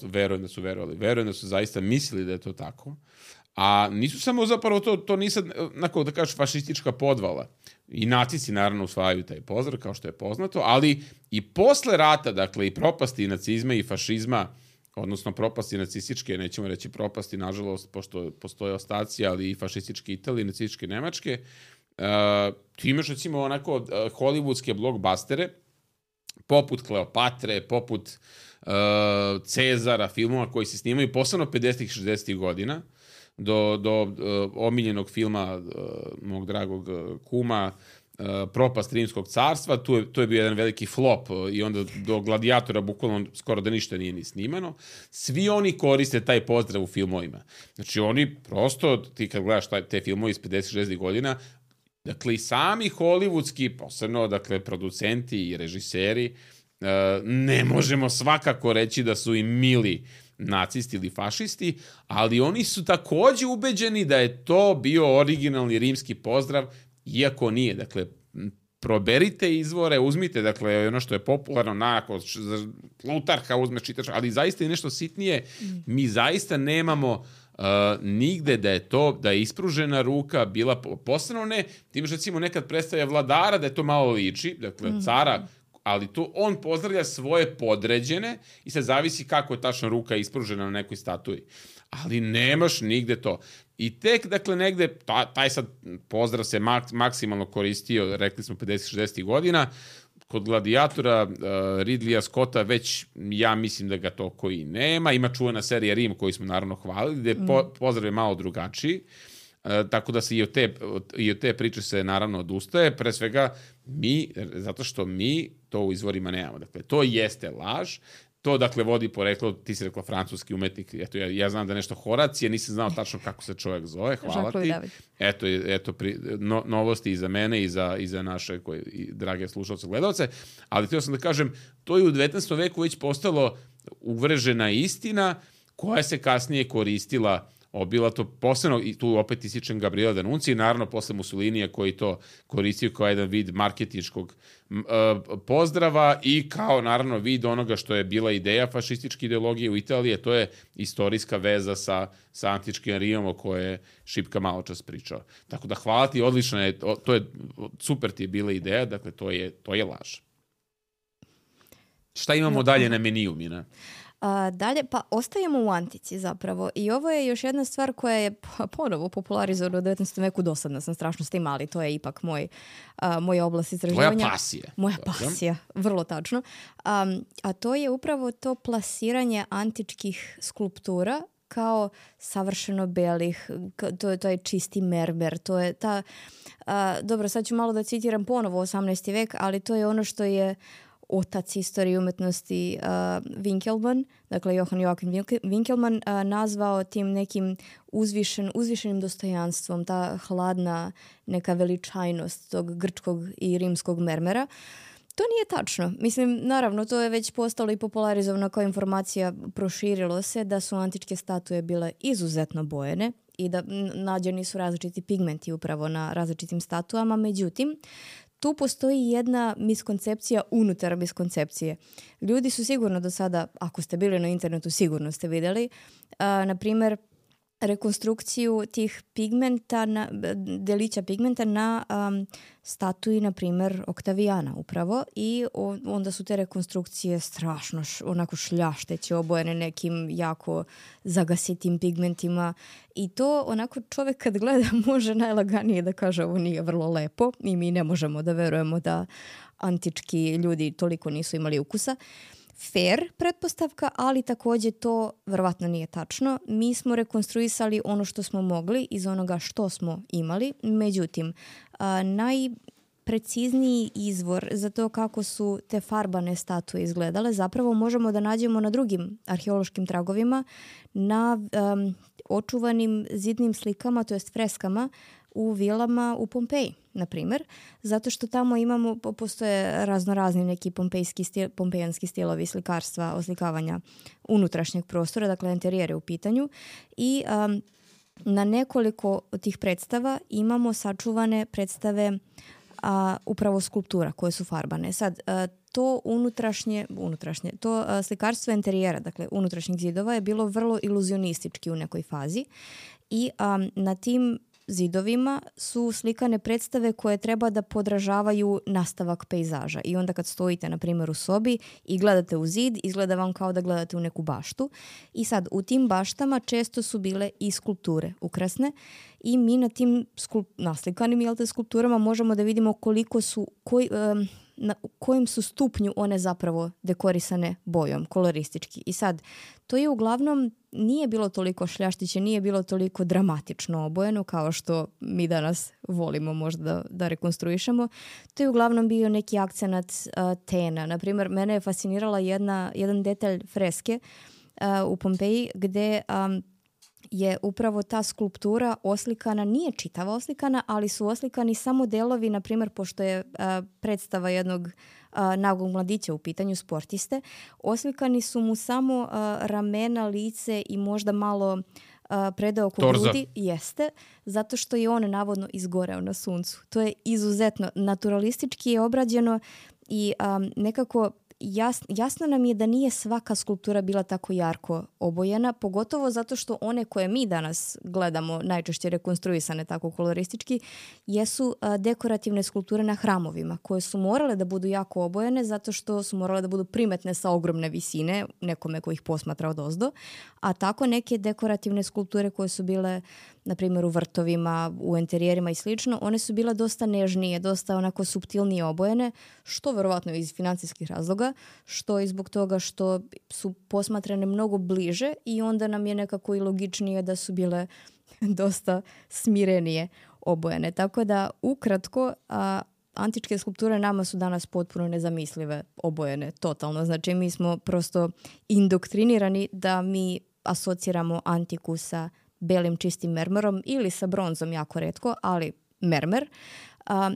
verujem da su verovali. Verujem da su zaista mislili da je to tako. A nisu samo zapravo to nisam, da kažeš, fašistička podvala. I nacisti naravno usvajaju taj pozdrav, kao što je poznato, ali i posle rata, dakle, i propasti nacizma i fašizma, odnosno propasti nacističke, nećemo reći propasti, nažalost, pošto postoje ostaci, ali i fašističke Italije, nacističke Nemačke, ti imaš, recimo, onako hollywoodske blockbustere, poput Kleopatre, poput Cezara, filmova koji se snimaju posebno 50-ih, 60-ih godina, do omiljenog filma mog dragog kuma Propast Rimskog carstva, to je bio jedan veliki flop i onda do Gladijatora bukvalno skoro da ništa nije ni snimano. Svi oni koriste taj pozdrav u filmovima. Znači oni prosto, ti kad gledaš te filmove iz 50-60 godina, dakle i sami hollywoodski, posebno, dakle, producenti i režiseri, ne možemo svakako reći da su im mili nacisti ili fašisti, ali oni su takođe ubeđeni da je to bio originalni rimski pozdrav, iako nije. Dakle, proberite izvore, uzmite, dakle, ono što je popularno, nakon Plutarha uzmeš, čitaš, ali zaista je nešto sitnije. Mi zaista nemamo nigde da je ispružena ruka bila posebno ne. Ti imaš, recimo, nekad predstavlja vladara da je to malo liči, dakle, cara, ali to on pozdravlja svoje podređene i sad zavisi kako je tačno ruka ispružena na nekoj statui. Ali nemaš nigde to. I tek, dakle, negde, taj sad pozdrav se maksimalno koristio, rekli smo 50-60 godina, kod Gladijatora Ridleya Scotta već, ja mislim da ga toliko i nema. Ima čuvena serija Rim koju smo naravno hvalili, gde pozdrav je malo drugačiji. Tako da se i od te priče se naravno odustaje. Pre svega zato što mi to u izvorima nemamo. Dakle, to jeste laž. To, dakle, vodi poreklo, ti si rekla francuski umetnik, eto, ja znam da nešto Horacije, nisam znao tačno kako se čovjek zove, hvala ti. Eto, novosti i za mene i za naše drage slušalce, gledalce, ali htio sam da kažem, to je u 19. veku već postalo uvrežena istina koja se kasnije koristila obilato, posebno, i tu opet ističem Gabriele D'Annunzio, naravno posle Mussolinija koji to koristio kao jedan vid marketinškog pozdrava i kao naravno vid onoga što je bila ideja fašističke ideologije u Italiji, to je istorijska veza sa antičkim Rimom o kojoj je Šipka malo čas pričao. Tako da hvala ti, odlično je, super ti je bila ideja, dakle to je laž. Šta imamo dalje na meniju, Mina? Dalje, pa ostajemo u antici zapravo i ovo je još jedna stvar koja je ponovo popularizovana u 19. veku, dosadna sam strašno s tim, ali to je ipak moja oblast istraživanja. Tvoja pasija. Moja pasija, vrlo tačno. A to je upravo to plasiranje antičkih skulptura kao savršeno belih, to je čisti mermer, to je ta, dobro, sad ću malo da citiram ponovo 18. vek, ali to je ono što je otac istorije umetnosti Winkelmann, dakle Johann Joachim Winkelmann, nazvao tim nekim uzvišenim dostojanstvom, ta hladna neka veličajnost tog grčkog i rimskog mermera. To nije tačno. Mislim, naravno, to je već postalo i popularizovano kao informacija, proširilo se da su antičke statue bile izuzetno bojene i da nađeni su različiti pigmenti upravo na različitim statuama, međutim, tu postoji jedna miskoncepcija unutar miskoncepcije. Ljudi su sigurno do sada, ako ste bili na internetu, sigurno ste vidjeli, na primjer, rekonstrukciju tih pigmenta, delića pigmenta na statui, na primjer, Oktavijana upravo, i onda su te rekonstrukcije strašno onako šljašteće, obojene nekim jako zagasitim pigmentima i to onako čovjek kad gleda može najlaganije da kaže ovo nije vrlo lepo i mi ne možemo da verujemo da antički ljudi toliko nisu imali ukusa. Fair pretpostavka, ali također to verovatno nije tačno. Mi smo rekonstruisali ono što smo mogli iz onoga što smo imali. Međutim, najprecizniji izvor za to kako su te farbane statue izgledale zapravo možemo da nađemo na drugim arheološkim tragovima, na očuvanim zidnim slikama, to jest freskama u vilama u Pompeji, na primjer, zato što tamo postoje raznorazni neki pompejanski stilovi slikarstva, oslikavanja unutrašnjeg prostora, dakle interijere u pitanju, i na nekoliko od tih predstava imamo sačuvane predstave upravo skulptura koje su farbane. Sad, to unutrašnje, to slikarstvo interijera, dakle unutrašnjih zidova, je bilo vrlo iluzionistički u nekoj fazi i na tim zidovima su slikane predstave koje treba da podražavaju nastavak pejzaža. I onda kad stojite, na primjer, u sobi i gledate u zid, izgleda vam kao da gledate u neku baštu. I sad, u tim baštama često su bile i skulpture ukrasne i mi na tim naslikanim skulpturama možemo da vidimo koliko su, na kojem su stupnju one zapravo dekorisane bojom, koloristički. I sad, to je uglavnom nije bilo toliko šljaštiće, nije bilo toliko dramatično obojeno kao što mi danas volimo možda da rekonstruišemo. To je uglavnom bio neki akcenat tena. Naprimjer, mene je fascinirala jedan detalj freske u Pompeji gde je upravo ta skulptura oslikana, nije čitava oslikana, ali su oslikani samo delovi, na primjer, pošto je predstava jednog nagog mladića u pitanju, sportiste, oslikani su mu samo ramena, lice i možda malo predao oko grudi. Jeste, zato što je on navodno izgoreo na suncu. To je izuzetno naturalistički je obrađeno i nekako jasno nam je da nije svaka skulptura bila tako jarko obojena, pogotovo zato što one koje mi danas gledamo, najčešće rekonstruisane tako koloristički, jesu dekorativne skulpture na hramovima, koje su morale da budu jako obojene zato što su morale da budu primetne sa ogromne visine, nekome ko ih posmatra odozdo, a tako neke dekorativne skulpture koje su bile, na primjer, u vrtovima, u interijerima i slično, one su bile dosta nežnije, dosta onako suptilnije obojene, što verovatno iz financijskih razloga, što i zbog toga što su posmatrane mnogo bliže i onda nam je nekako i logičnije da su bile dosta smirenije obojene. Tako da, ukratko, antičke skulpture nama su danas potpuno nezamislive obojene, totalno. Znači, mi smo prosto indoktrinirani da mi asociramo antiku sa belim čistim mermerom ili sa bronzom jako retko, ali mermer.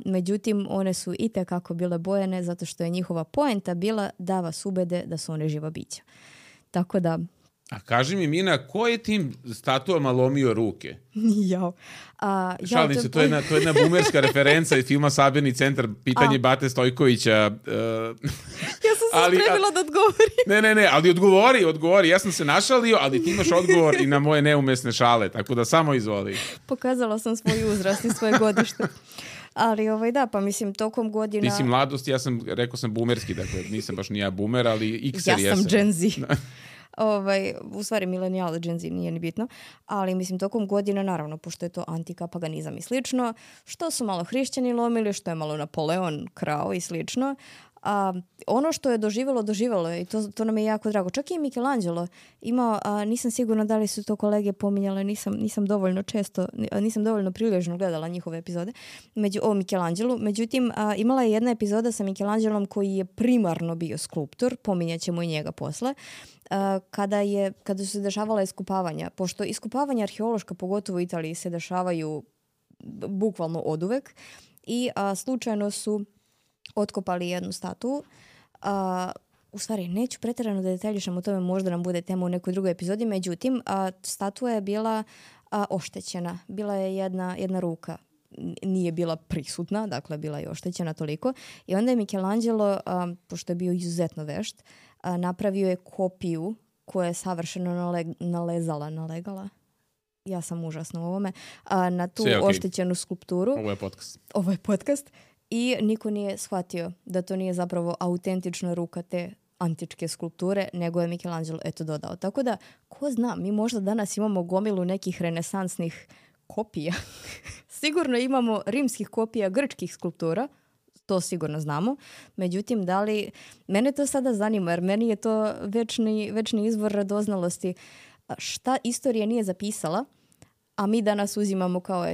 Međutim, one su itekako bile bojene zato što je njihova poenta bila da vas ubede da su one živa bića. Tako da... A kaži mi, Mina, ko je tim statuama lomio ruke? Jao. Šalim se, to je jedna bumerska referenca iz filma Sabirni centar, pitanje Bate Stojkovića. Ja sam se spremila da odgovorim. Ne, ali odgovori. Ja sam se našalio, ali ti imaš odgovor i na moje neumesne šale, tako da samo izvoli. Pokazala sam svoj uzrast i svoje godište. Ali da, pa mislim, tokom godina... Ti si mladost, rekao sam bumerski, dakle nisam baš ni ja bumer, ali X-er ja sam Gen Z. u stvari milenijal, Gen Z, nije ni bitno, ali mislim tokom godina, naravno, pošto je to antika, paganizam i slično, što su malo hrišćani lomili, što je malo Napoleon krao i slično, ono što je doživjelo je i to nam je jako drago. Čak i Michelangelo imao, nisam sigurna da li su to kolege pominjale, nisam dovoljno prilježno gledala njihove epizode o Michelangelu. Međutim, imala je jedna epizoda sa Michelangelom koji je primarno bio skulptor, pominjat ćemo i njega posle, kada su se dešavala iskopavanja. Pošto iskopavanja arheološka, pogotovo u Italiji, se dešavaju bukvalno oduvek i slučajno su otkopali jednu statu. U stvari, neću pretjerano da detaljišem o tome, možda nam bude tema u nekoj drugoj epizodi, međutim, statua je bila oštećena. Bila je jedna ruka. Nije bila prisutna, dakle, bila je oštećena toliko. I onda je Michelangelo, pošto je bio izuzetno vešt, napravio je kopiju koja je savršeno nalegala. Ja sam užasna u ovome. Na tu oštećenu skulpturu. Ovo je podcast. I niko nije shvatio da to nije zapravo autentična ruka te antičke skulpture, nego je Michelangelo dodao. Tako da, ko zna, mi možda danas imamo gomilu nekih renesansnih kopija. Sigurno imamo rimskih kopija grčkih skulptura, to sigurno znamo. Međutim, mene to sada zanima, jer meni je to večni izvor radoznalosti. Šta istorija nije zapisala, a mi danas uzimamo kao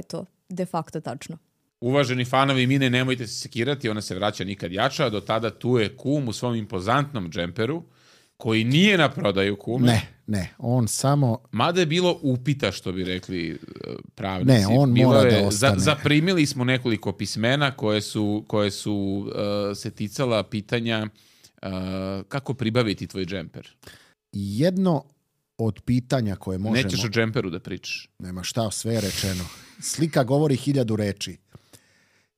de facto tačno. Uvaženi fanovi Mine, nemojte se sekirati, ona se vraća nikad jača, do tada tu je kum u svom impozantnom džemperu, koji nije na prodaju, kume. Ne, on samo... Mada je bilo upita, što bi rekli pravnici. Ne, on mora da ostane. Zaprimili smo nekoliko pismena koje su se ticala pitanja kako pribaviti tvoj džemper. Jedno od pitanja koje možemo... Nećeš o džemperu da pričaš. Nema šta, sve je rečeno. Slika govori 1000 reči.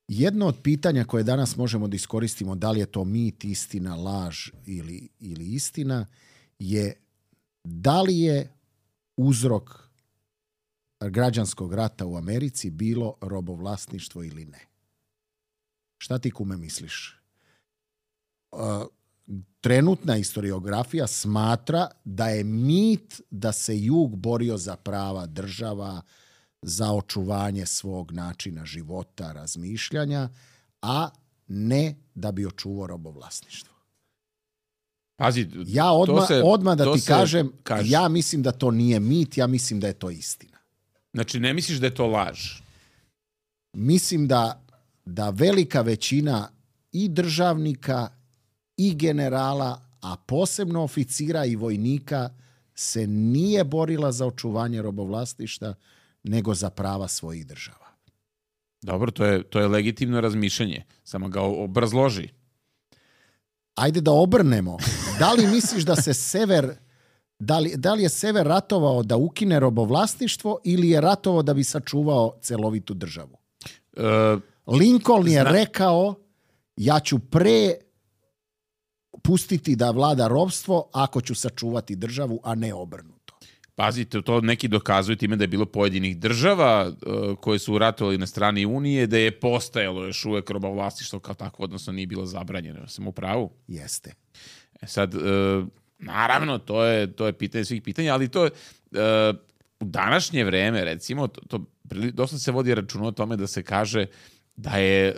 Jedno od pitanja koje danas možemo da iskoristimo, da li je to mit, istina, laž ili istina, je da li je uzrok građanskog rata u Americi bilo robovlasništvo ili ne. Šta ti, kume, misliš? Trenutna historiografija smatra da je mit da se jug borio za prava država, za očuvanje svog načina života, razmišljanja, a ne da bi očuvao robovlasništvo. Pazi, ja odmah da ti kažem, ja mislim da to nije mit, ja mislim da je to istina. Znači, ne misliš da je to laž? Mislim da velika većina i državnika i generala, a posebno oficira i vojnika, se nije borila za očuvanje robovlasništva, nego za prava svojih država. Dobro, to je legitimno razmišljanje. Samo ga obrazloži. Ajde da obrnemo. Da li misliš da se sever... Da li je sever ratovao da ukine robovlasništvo ili je ratovao da bi sačuvao celovitu državu? Lincoln je rekao, ja ću pre pustiti da vlada ropstvo ako ću sačuvati državu, a ne obrnuto. Pazite, to neki dokazuju time da je bilo pojedinih država koje su ratovali na strani Unije, da je postajalo još uvek robovlasništvo kao tako, odnosno nije bilo zabranjeno. Sam u pravu? Jeste. Sad, naravno, to je pitanje svih pitanja, ali to je u današnje vreme, recimo, dosta se vodi računa o tome da se kaže da je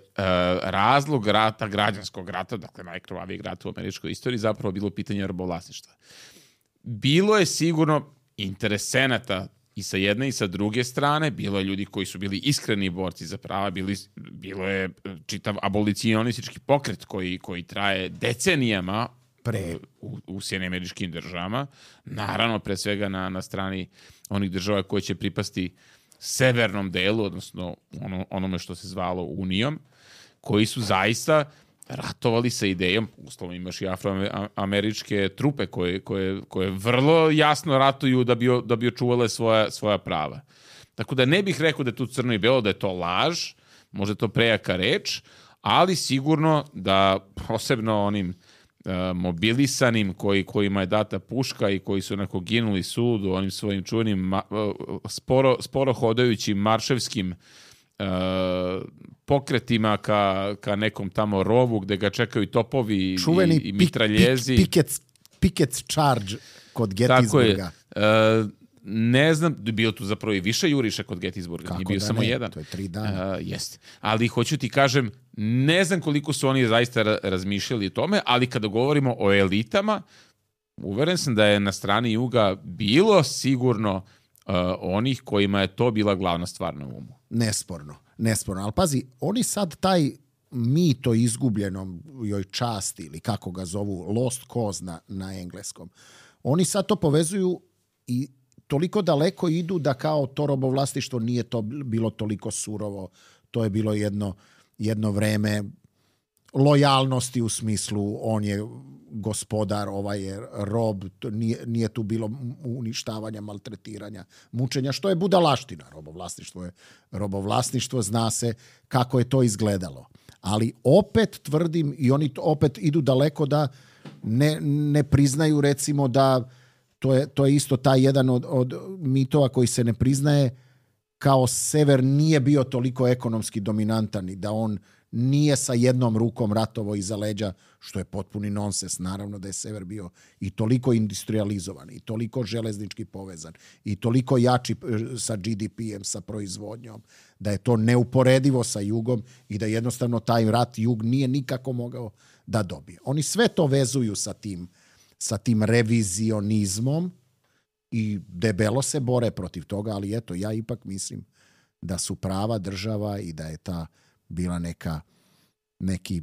razlog rata, građanskog rata, dakle najkrvavijeg rata u američkoj istoriji, zapravo bilo pitanje robovlasništva. Bilo je sigurno interesenata i sa jedne i sa druge strane, bilo je ljudi koji su bili iskreni borci za prava, bilo je čitav abolicionistički pokret koji traje decenijama u Sjedinjenim Američkim Državama, naravno pre svega na strani onih država koje će pripasti severnom delu, odnosno onome što se zvalo Unijom, koji su zaista ratovali sa idejom, uslovno imaš i afroameričke trupe koje vrlo jasno ratuju da bi očuvale svoja prava. Tako da ne bih rekao da je tu crno i belo, da je to laž, možda je to prejaka reč, ali sigurno da posebno onim mobilisanim kojima je data puška i koji su onako ginuli sudu onim svojim čuvenim sporo hodajućim marševskim pokretima ka nekom tamo rovu gde ga čekaju topovi i mitraljezi. picket charge kod Tako je. Gettysburga. Ne znam, bio tu zapravo i više juriša kod Gettysburga, nije bio samo jedan. To je 3 dana. Jeste. Ali hoću ti kažem, ne znam koliko su oni zaista razmišljali o tome, ali kada govorimo o elitama, uveren sam da je na strani juga bilo sigurno onih kojima je to bila glavna stvar na umu. Nesporno. Ali pazi, oni sad taj mit o izgubljenom joj časti, ili kako ga zovu, lost cause na engleskom, oni sad to povezuju i toliko daleko idu da kao to robovlasništvo nije to bilo toliko surovo. To je bilo jedno vreme lojalnosti u smislu on je gospodar, ovaj je rob, nije tu bilo uništavanja, maltretiranja, mučenja, što je budalaština. Robovlasništvo zna se kako je to izgledalo. Ali opet tvrdim, i oni opet idu daleko da ne priznaju recimo da to je isto taj jedan od mitova koji se ne priznaje, kao sever nije bio toliko ekonomski dominantan i da on nije sa jednom rukom ratovo iza leđa, što je potpuni nonsens. Naravno da je sever bio i toliko industrializovan i toliko železnički povezan i toliko jači sa GDP-em, sa proizvodnjom, da je to neuporedivo sa jugom i da jednostavno taj rat jug nije nikako mogao da dobije. Oni sve to vezuju sa tim revizionizmom i debelo se bore protiv toga, ali eto, ja ipak mislim da su prava država i da je ta bila neki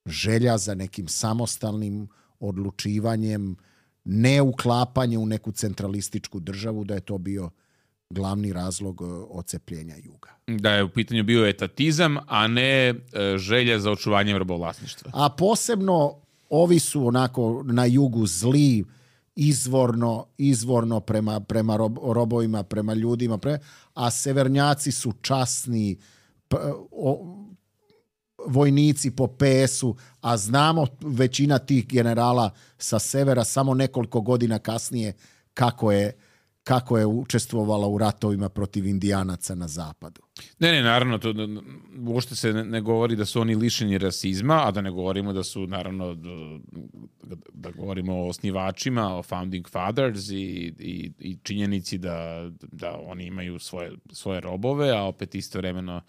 želja za nekim samostalnim odlučivanjem, ne uklapanje u neku centralističku državu, da je to bio glavni razlog ocepljenja juga. Da je u pitanju bio etatizam, a ne želja za očuvanjem robovlasništva. A posebno ovi su onako na jugu zli, izvorno prema robovima, prema ljudima, a severnjaci su časni, vojnici po PS-u, a znamo većina tih generala sa severa samo nekoliko godina kasnije kako je učestvovala u ratovima protiv Indijanaca na zapadu. Ne, naravno, to uopšte se ne govori da su oni lišeni rasizma, a da ne govorimo da su, naravno, da govorimo o osnivačima, o founding fathers i činjenici da oni imaju svoje robove, a opet istovremeno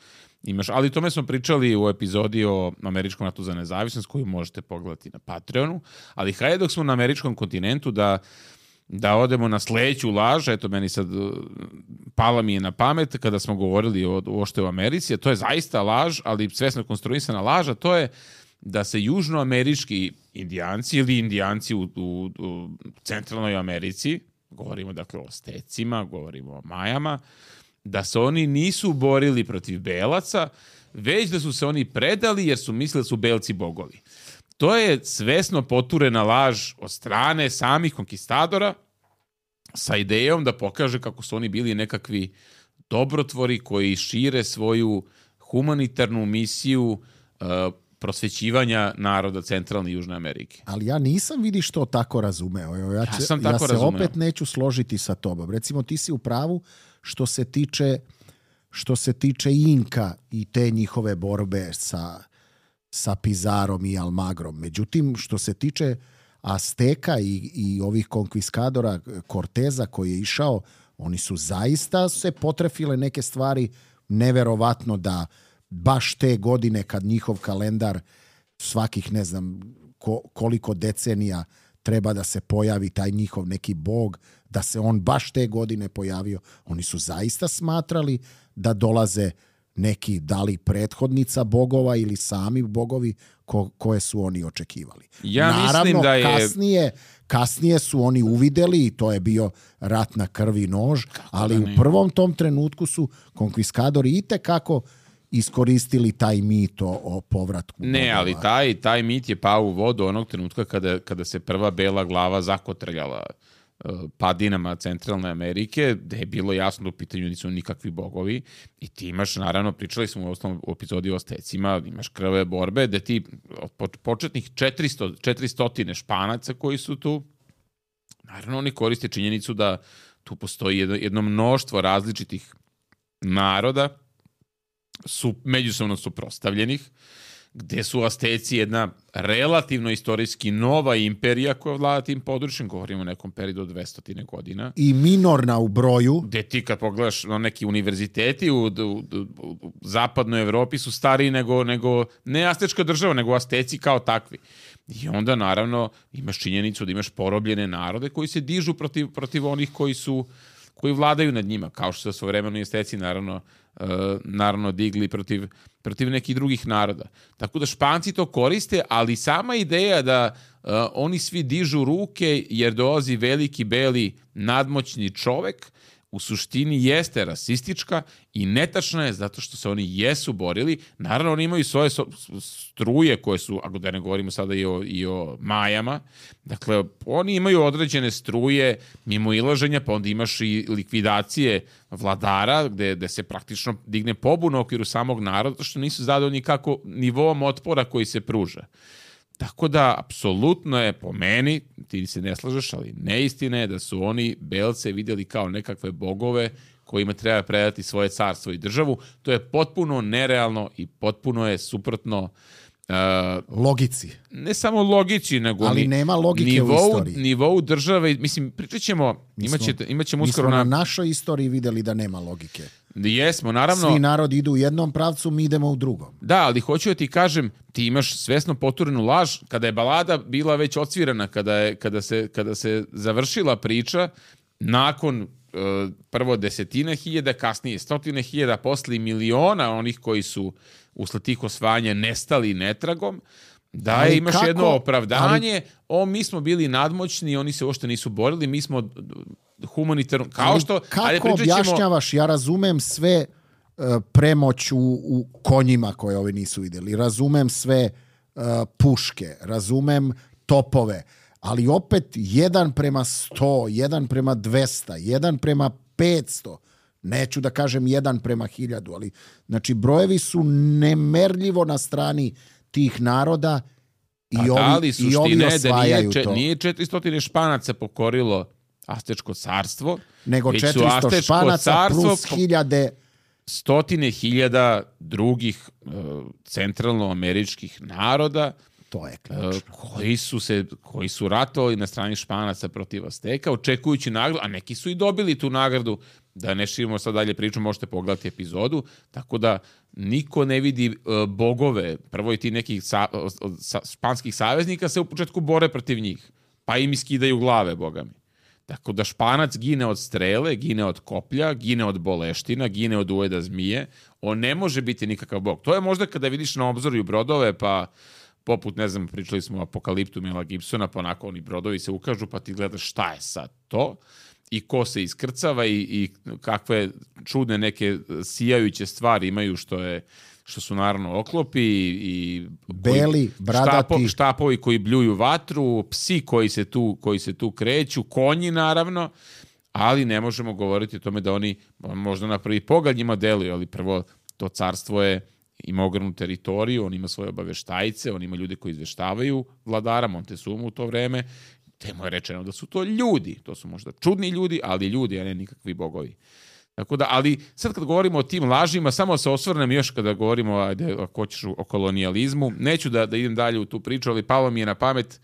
imaš... Ali tome smo pričali u epizodi o Američkom ratu za nezavisnost, koju možete pogledati na Patreonu, ali hajde dok smo na američkom kontinentu da odemo na sledeću laž, eto meni sad pala mi je na pamet kada smo govorili uopšte o Americi, a to je zaista laž, ali svesno konstruisana laž, a to je da se južnoamerički indijanci ili indijanci u centralnoj Americi, govorimo dakle o Stecima, govorimo o Majama, da se oni nisu borili protiv belaca, već da su se oni predali jer su mislili da su belci bogovi. To je svesno poturena laž od strane samih konkistadora sa idejom da pokaže kako su oni bili nekakvi dobrotvori koji šire svoju humanitarnu misiju prosvećivanja naroda centralne i Južne Amerike. Ali ja nisam vidi što tako razumeo. Ja se opet neću složiti sa tobom. Recimo ti si u pravu što se tiče Inka i te njihove borbe sa Pizarom i Almagrom. Međutim, što se tiče Azteka i ovih konkviskadora Corteza koji je išao, oni su zaista se potrefile neke stvari, neverovatno da baš te godine kad njihov kalendar svakih ne znam koliko decenija treba da se pojavi taj njihov neki bog, da se on baš te godine pojavio. Oni su zaista smatrali da dolaze neki, da li prethodnica bogova ili sami bogovi koje su oni očekivali. Naravno, mislim da je... kasnije su oni uvideli i to je bio rat na krvi nož, ali u prvom tom trenutku su konkviskadori itekako iskoristili taj mit o povratku Ne, bogova. ali taj mit je pao u vodu onog trenutka kada se prva bela glava zakotrljala padinama centralne Amerike, gde je bilo jasno da u pitanju nisu nikakvi bogovi i ti imaš, naravno, pričali smo u epizodi o Ostecima, imaš krve borbe, gde ti od početnih 400 Španaca koji su tu, naravno oni koriste činjenicu da tu postoji jedno mnoštvo različitih naroda, su međusobno suprotstavljenih gde su Asteci jedna relativno istorijski nova imperija koja vlada tim područjem, govorimo o nekom periodu od 200 godina. I minorna u broju. Gde ti kad pogledaš neki univerziteti u zapadnoj Evropi su stariji nego ne Astečka država, nego Asteci kao takvi. I onda naravno imaš činjenicu da imaš porobljene narode koji se dižu protiv onih koji vladaju nad njima, kao što su svojevremeno Asteci naravno digli protiv nekih drugih naroda. Tako da Španci to koriste, ali sama ideja da oni svi dižu ruke jer dolazi veliki, beli, nadmoćni čovek, u suštini jeste rasistička i netačna je zato što se oni jesu borili. Naravno, oni imaju svoje struje koje su, ako da ne govorimo sada i o Majama, dakle, oni imaju određene struje mimo ilaženja, pa onda imaš i likvidacije vladara, gde se praktično digne pobuna u okviru samog naroda, što nisu zadovoljni kako nivom otpora koji se pruža. Tako da, apsolutno je po meni, ti se ne slažeš, ali neistina je da su oni Belce vidjeli kao nekakve bogove kojima treba predati svoje carstvo i državu. To je potpuno nerealno i potpuno je suprotno logici. Ne samo logici, nego ali nema logike u istoriji. Nivou države, mislim, pričat ćemo, imaćemo uskoro na našoj istoriji vidjeli da nema logike. Jesmo, naravno. Svi narodi idu u jednom pravcu, mi idemo u drugom. Da, ali hoću da ti kažem, ti imaš svesno poturenu laž, kada je balada bila već odsvirana, kada se završila priča, nakon prvo 10.000, kasnije 100.000, posle miliona onih koji su usled tih osvajanja nestali netragom, da imaš jedno opravdanje, mi smo bili nadmoćni, oni se uopšte nisu borili, mi smo humanitarno, kako objašnjavaš, ja razumem sve premoć u konjima koje ovi nisu vidjeli, razumem sve puške, razumem topove, ali opet 1:100, 1:200, 1:500, neću da kažem 1:1000, ali znači brojevi su nemerljivo na strani tih naroda i ovi osvajaju to. Nije 400 Španaca pokorilo Astečko carstvo, nego 400 Španaca plus 1000 100.000 drugih centralnoameričkih naroda, to je ključno, koji su ratovali na strani Španaca protiv Asteka, očekujući nagradu, a neki su i dobili tu nagradu. Da ne širimo sad dalje priču, možete pogledati epizodu, tako da niko ne vidi bogove, prvo i ti nekih španskih saveznika se u početku bore protiv njih, pa im iskidaju glave, bogami. Tako da Španac gine od strele, gine od koplja, gine od boleština, gine od ujeda zmije, on ne može biti nikakav bog. To je možda kada vidiš na obzoru brodove, pa poput, ne znam, pričali smo o Apokaliptu Mela Gibsona, pa onako oni brodovi se ukažu, pa ti gledaš šta je sad to, i ko se iskrcava i kakve čudne neke sijajuće stvari imaju, što su naravno oklopi i beli, bradati, štapovi koji bljuju vatru, psi koji se tu kreću, konji naravno, ali ne možemo govoriti o tome da oni možda na prvi pogled njima deluju, ali prvo to carstvo ima ogromnu teritoriju, on ima svoje obaveštajce, on ima ljude koji izveštavaju vladara Montezumu u to vreme. Temo je rečeno da su to ljudi, to su možda čudni ljudi, ali ljudi, a ne nikakvi bogovi. Tako da, ali sad kad govorimo o tim lažima, samo se osvrnem još kada govorimo ako hoćeš o kolonijalizmu, neću da idem dalje u tu priču, ali palo mi je na pamet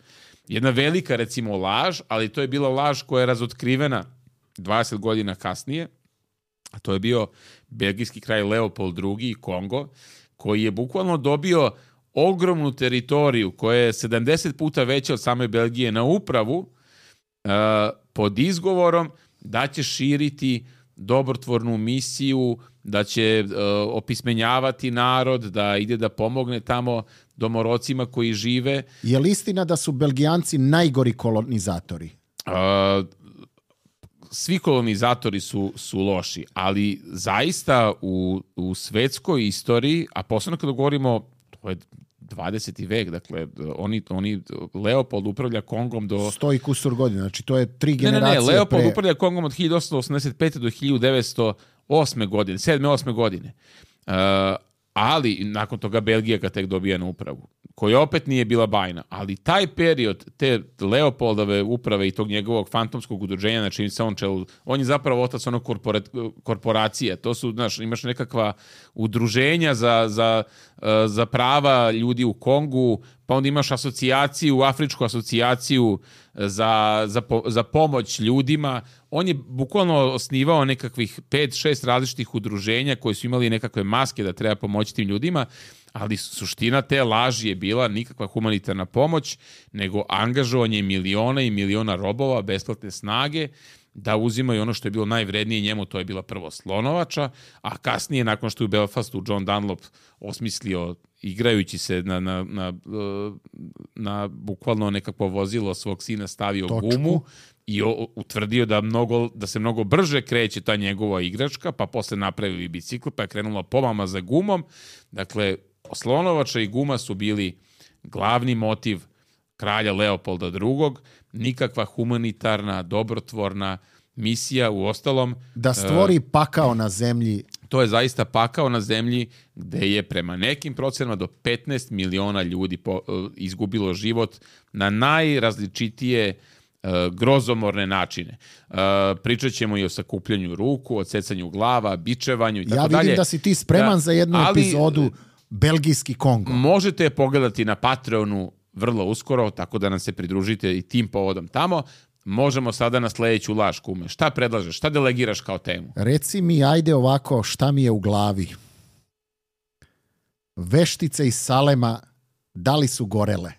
jedna velika, recimo, laž, ali to je bila laž koja je razotkrivena 20 godina kasnije, a to je bio belgijski kralj Leopold II, Kongo, koji je bukvalno dobio ogromnu teritoriju koja je 70 puta veća od same Belgije na upravu pod izgovorom da će širiti dobrotvornu misiju, da će opismenjavati narod, da ide da pomogne tamo domorocima koji žive. Je li istina da su Belgijanci najgori kolonizatori? Svi kolonizatori su loši, ali zaista u svetskoj istoriji, a posebno kada govorimo, to je 20. vek, dakle, oni Leopold upravlja Kongom do 100 i kusur godina, znači to je 3 generacije. Ne, Leopold upravlja Kongom od 1885. do 1908. godine, 7. 8. godine. Ali nakon toga Belgija ga tek dobija na upravu. koja opet nije bila bajna, ali taj period te Leopoldove uprave i tog njegovog fantomskog udruženja na čim se on čelu, on je zapravo otac onog korporacije. To su, znaš, imaš nekakva udruženja za prava ljudi u Kongu, pa onda imaš asocijaciju, afričku asocijaciju za pomoć ljudima. On je bukvalno osnivao nekakvih 5-6 različitih udruženja koji su imali nekakve maske da treba pomoći tim ljudima, ali suština te laži je bila nikakva humanitarna pomoć, nego angažovanje miliona i miliona robova, besplatne snage, da uzimaju ono što je bilo najvrednije njemu, to je bila prvo slonovača, a kasnije, nakon što je u Belfastu John Dunlop osmislio, igrajući se na bukvalno nekakvo vozilo svog sina, stavio gumu i utvrdio da se mnogo brže kreće ta njegova igračka, pa posle napravili bicikl, pa je krenula pomama za gumom. Dakle, slonovača i guma su bili glavni motiv kralja Leopolda II. Nikakva humanitarna, dobrotvorna misija, u ostalom. Da stvori pakao na zemlji. To je zaista pakao na zemlji gde je prema nekim procenama do 15 miliona ljudi izgubilo život na najrazličitije grozomorne načine. Pričat ćemo i o sakupljanju ruku, odsecanju glava, bičevanju i tako dalje. Ja vidim da si ti spreman za jednu epizodu Belgijski Kongo. Možete je pogledati na Patreonu vrlo uskoro, tako da nam se pridružite i tim povodom tamo. Možemo sada na sledeću laž, kume. Šta predlažeš? Šta delegiraš kao temu? Reci mi, ajde ovako, šta mi je u glavi? Veštice iz Salema, da li su gorele?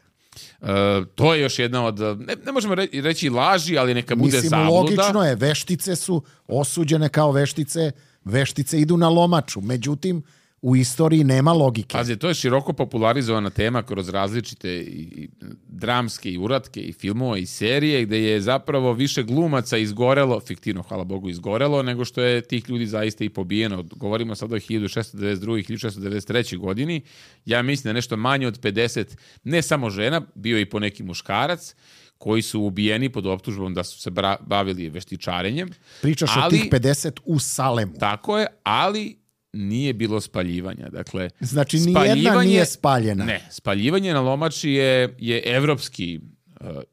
To je još jedna od, ne možemo reći laži, ali neka bude zabluda. Logično je, veštice su osuđene kao veštice, veštice idu na lomaču, međutim, u istoriji nema logike. Pazi, to je široko popularizovana tema kroz različite i dramske i uratke i filmove i serije, gde je zapravo više glumaca izgorelo, fiktivno, hvala Bogu, izgorelo, nego što je tih ljudi zaista i pobijeno. Govorimo sada o 1692. i 1693. godini. Ja mislim da nešto manje od 50, ne samo žena, bio i po neki muškarac, koji su ubijeni pod optužbom da su se bavili veštičarenjem. Pričaš o tih 50 u Salemu. Tako je, ali nije bilo spaljivanja. Dakle, znači, nijedna nije spaljena. Ne, spaljivanje na lomači je evropski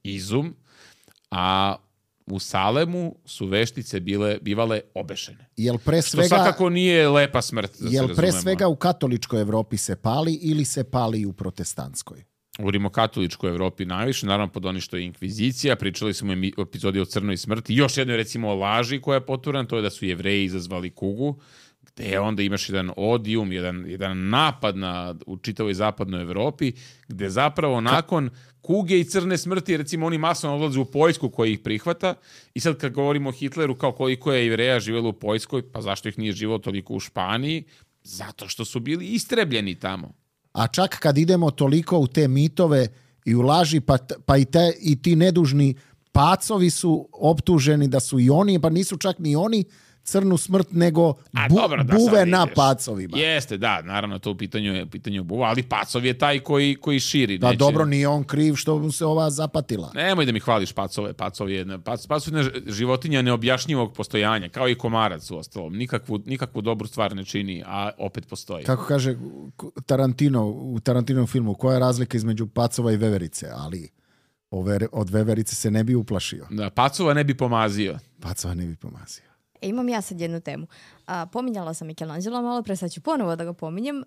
izum, a u Salemu su veštice bivale obešene. Što svakako nije lepa smrt, da se razumemo. Jel pre svega u katoličkoj Evropi se pali ili se pali u protestantskoj? U rimokatoličkoj Evropi najviše, naravno pod oni što je inkvizicija. Pričali smo o epizodi o crnoj smrti. Još jedno, recimo, o laži koja je poturana, to je da su Jevreji izazvali kugu, gde onda imaš jedan odijum, jedan napad u čitavoj zapadnoj Evropi, gde zapravo nakon kuge i crne smrti, recimo, oni masovno odlaze u Poljsku koja ih prihvata, i sad kad govorimo o Hitleru kao koliko je Jevreja živjelo u Poljskoj, pa zašto ih nije živjelo toliko u Španiji? Zato što su bili istrebljeni tamo. A čak kad idemo toliko u te mitove i u laži, pa i ti nedužni pacovi su optuženi da su i oni, pa nisu čak ni oni crnu smrt, nego buve na pacovima. Jeste, da, naravno, to u pitanju buva, ali pacov je taj koji širi. Da, dobro, nije on kriv što mu se ova zapatila. Nemoj da mi hvališ pacove. Pacov je životinja neobjašnjivog postojanja, kao i komarac u ostalom. Nikakvu dobru stvar ne čini, a opet postoji. Kako kaže Tarantino u Tarantinovom filmu, koja je razlika između pacova i veverice, ali od veverice se ne bi uplašio. Da, pacova ne bi pomazio. Imam ja sad jednu temu. Pominjala sam Michelangelo malo pre, sad ću ponovo da ga pominjem.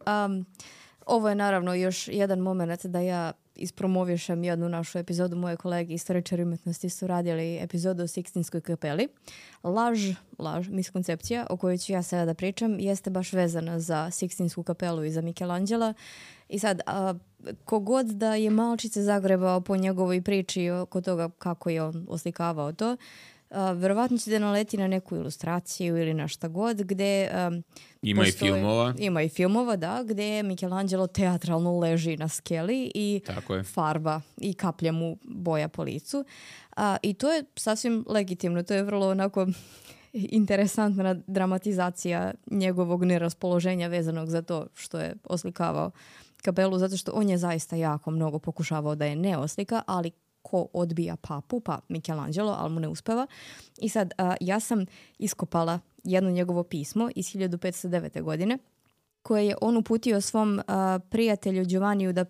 Ovo je naravno još jedan moment da ja ispromovišem jednu našu epizodu. Moje kolege istoričari umetnosti su radili epizodu o Sikstinskoj kapeli. Laž, miskoncepcija o kojoj ću ja sada da pričam jeste baš vezana za Sikstinsku kapelu i za Michelangela. I sad, kogod da je malčice zagrebao po njegovoj priči oko toga kako je on oslikavao to, verovatno će da naleti na neku ilustraciju ili na šta god, gde ima i filmova, da, gde Michelangelo teatralno leži na skeli i farba i kaplja mu boja po licu. I to je sasvim legitimno, to je vrlo onako interesantna dramatizacija njegovog neraspoloženja vezanog za to što je oslikavao kapelu, zato što on je zaista jako mnogo pokušavao da je ne oslika, ali ko odbija papu, pa Michelangelo, ali mu ne uspeva. I sad, ja sam iskopala jedno njegovo pismo iz 1509. godine, koje je on uputio svom prijatelju Giovanniju da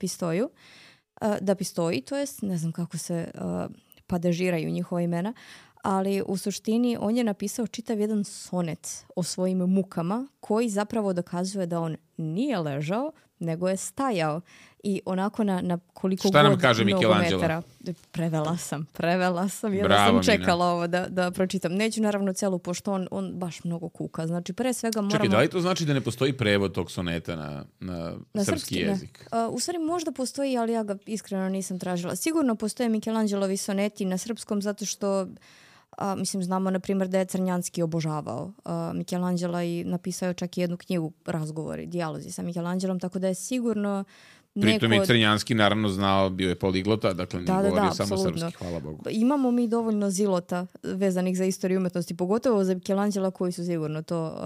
Pistoji, to jest, ne znam kako se padežiraju njihova imena, ali u suštini on je napisao čitav jedan sonet o svojim mukama koji zapravo dokazuje da on nije ležao, nego je stajao i onako na koliko Šta nam god kaže mnogo Michelangelo? metara. Prevela sam. Ja Bravo, sam čekala ovo da pročitam. Neću naravno celu, pošto on baš mnogo kuka. Znači, pre svega moramo... Čekaj, da li to znači da ne postoji prevod tog soneta na srpski jezik? Ne. U stvari možda postoji, ali ja ga iskreno nisam tražila. Sigurno postoje Michelangelovi soneti na srpskom zato što mislim, znamo, na primjer, da je Crnjanski obožavao Michelangela i napisao čak i jednu knjigu, razgovori, dijalozi sa Michelangelom, tako da je sigurno Pritom je Crnjanski naravno znao, bio je poliglota, dakle nije govorio samo apsolutno. srpski, hvala Bogu. Imamo mi dovoljno zilota vezanih za istoriju umetnosti, pogotovo za Michelangela koji su sigurno to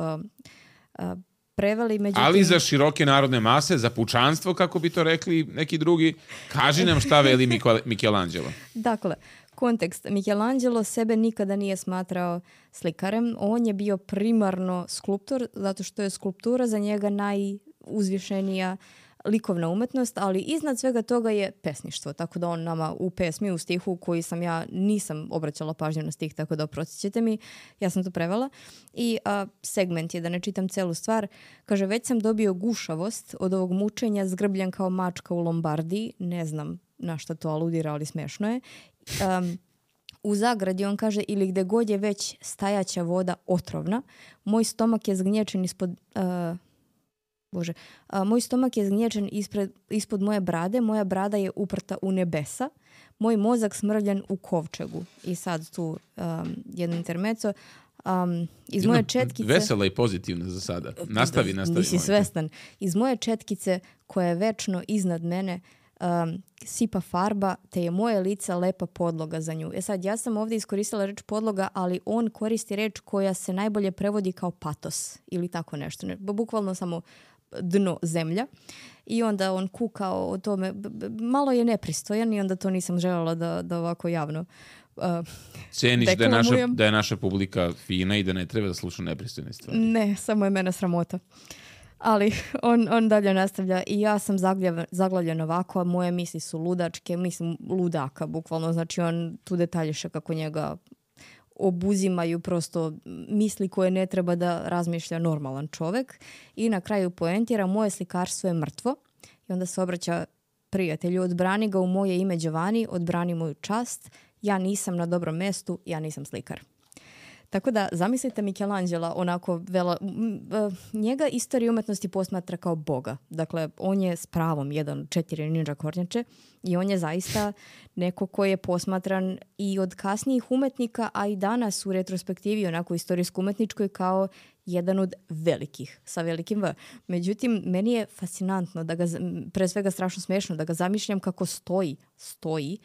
preveli. Međutim... Ali za široke narodne mase, za pučanstvo, kako bi to rekli neki drugi, kaži nam šta veli Michelangelo. Dakle, kontekst. Michelangelo sebe nikada nije smatrao slikarem. On je bio primarno skulptor, zato što je skulptura za njega najuzvišenija likovna umetnost, ali iznad svega toga je pesništvo. Tako da on nama u pesmi, u stihu koji ja nisam obraćala pažnju na stih, tako da oprostit mi, ja sam to prevela. I segment je, da ne čitam celu stvar, kaže, već sam dobio gušavost od ovog mučenja, zgrbljen kao mačka u Lombardiji, ne znam na šta to aludira, ali smešno je. U zagradi on kaže, ili gde god je već stajaća voda otrovna, moj stomak je zgnječen moj stomak je zgnječen ispod moje brade, moja brada je uprta u nebesa, moj mozak smrljan u kovčegu. I sad tu jedno intermeco. Iz moje četkice... Vesela i pozitivna za sada. Nastavi. Nisi svestan. Iz moje četkice koja je večno iznad mene sipa farba, te je moje lice lepa podloga za nju. Sad, ja sam ovdje iskoristila reč podloga, ali on koristi reč koja se najbolje prevodi kao patos ili tako nešto. Bukvalno samo dno, zemlja. I onda on kukao o tome. Malo je nepristojan i onda to nisam željela da ovako javno ceniš da je naša publika fina i da ne treba da sluša nepristojne stvari. Ne, samo je mene sramota. Ali on dalje nastavlja i ja sam zaglavljen ovako, a moje misli su ludačke, mislim ludaka, bukvalno. Znači on tu detaljiše kako njega obuzimaju prosto misli koje ne treba da razmišlja normalan čovek. I na kraju poentira, moje slikarstvo je mrtvo. I onda se obraća prijatelju, odbrani ga u moje ime Giovanni, odbrani moju čast, ja nisam na dobrom mestu, ja nisam slikar. Tako da, zamislite Michelangela, onako njega istorija umetnosti posmatra kao boga. Dakle, on je s pravom jedan od 4 ninja kornjače i on je zaista neko ko je posmatran i od kasnijih umetnika, a i danas u retrospektivi, onako istorijsko-umetničkoj, kao jedan od velikih, sa velikim V. Međutim, meni je fascinantno, pre svega strašno smešno, da ga zamišljam kako stoji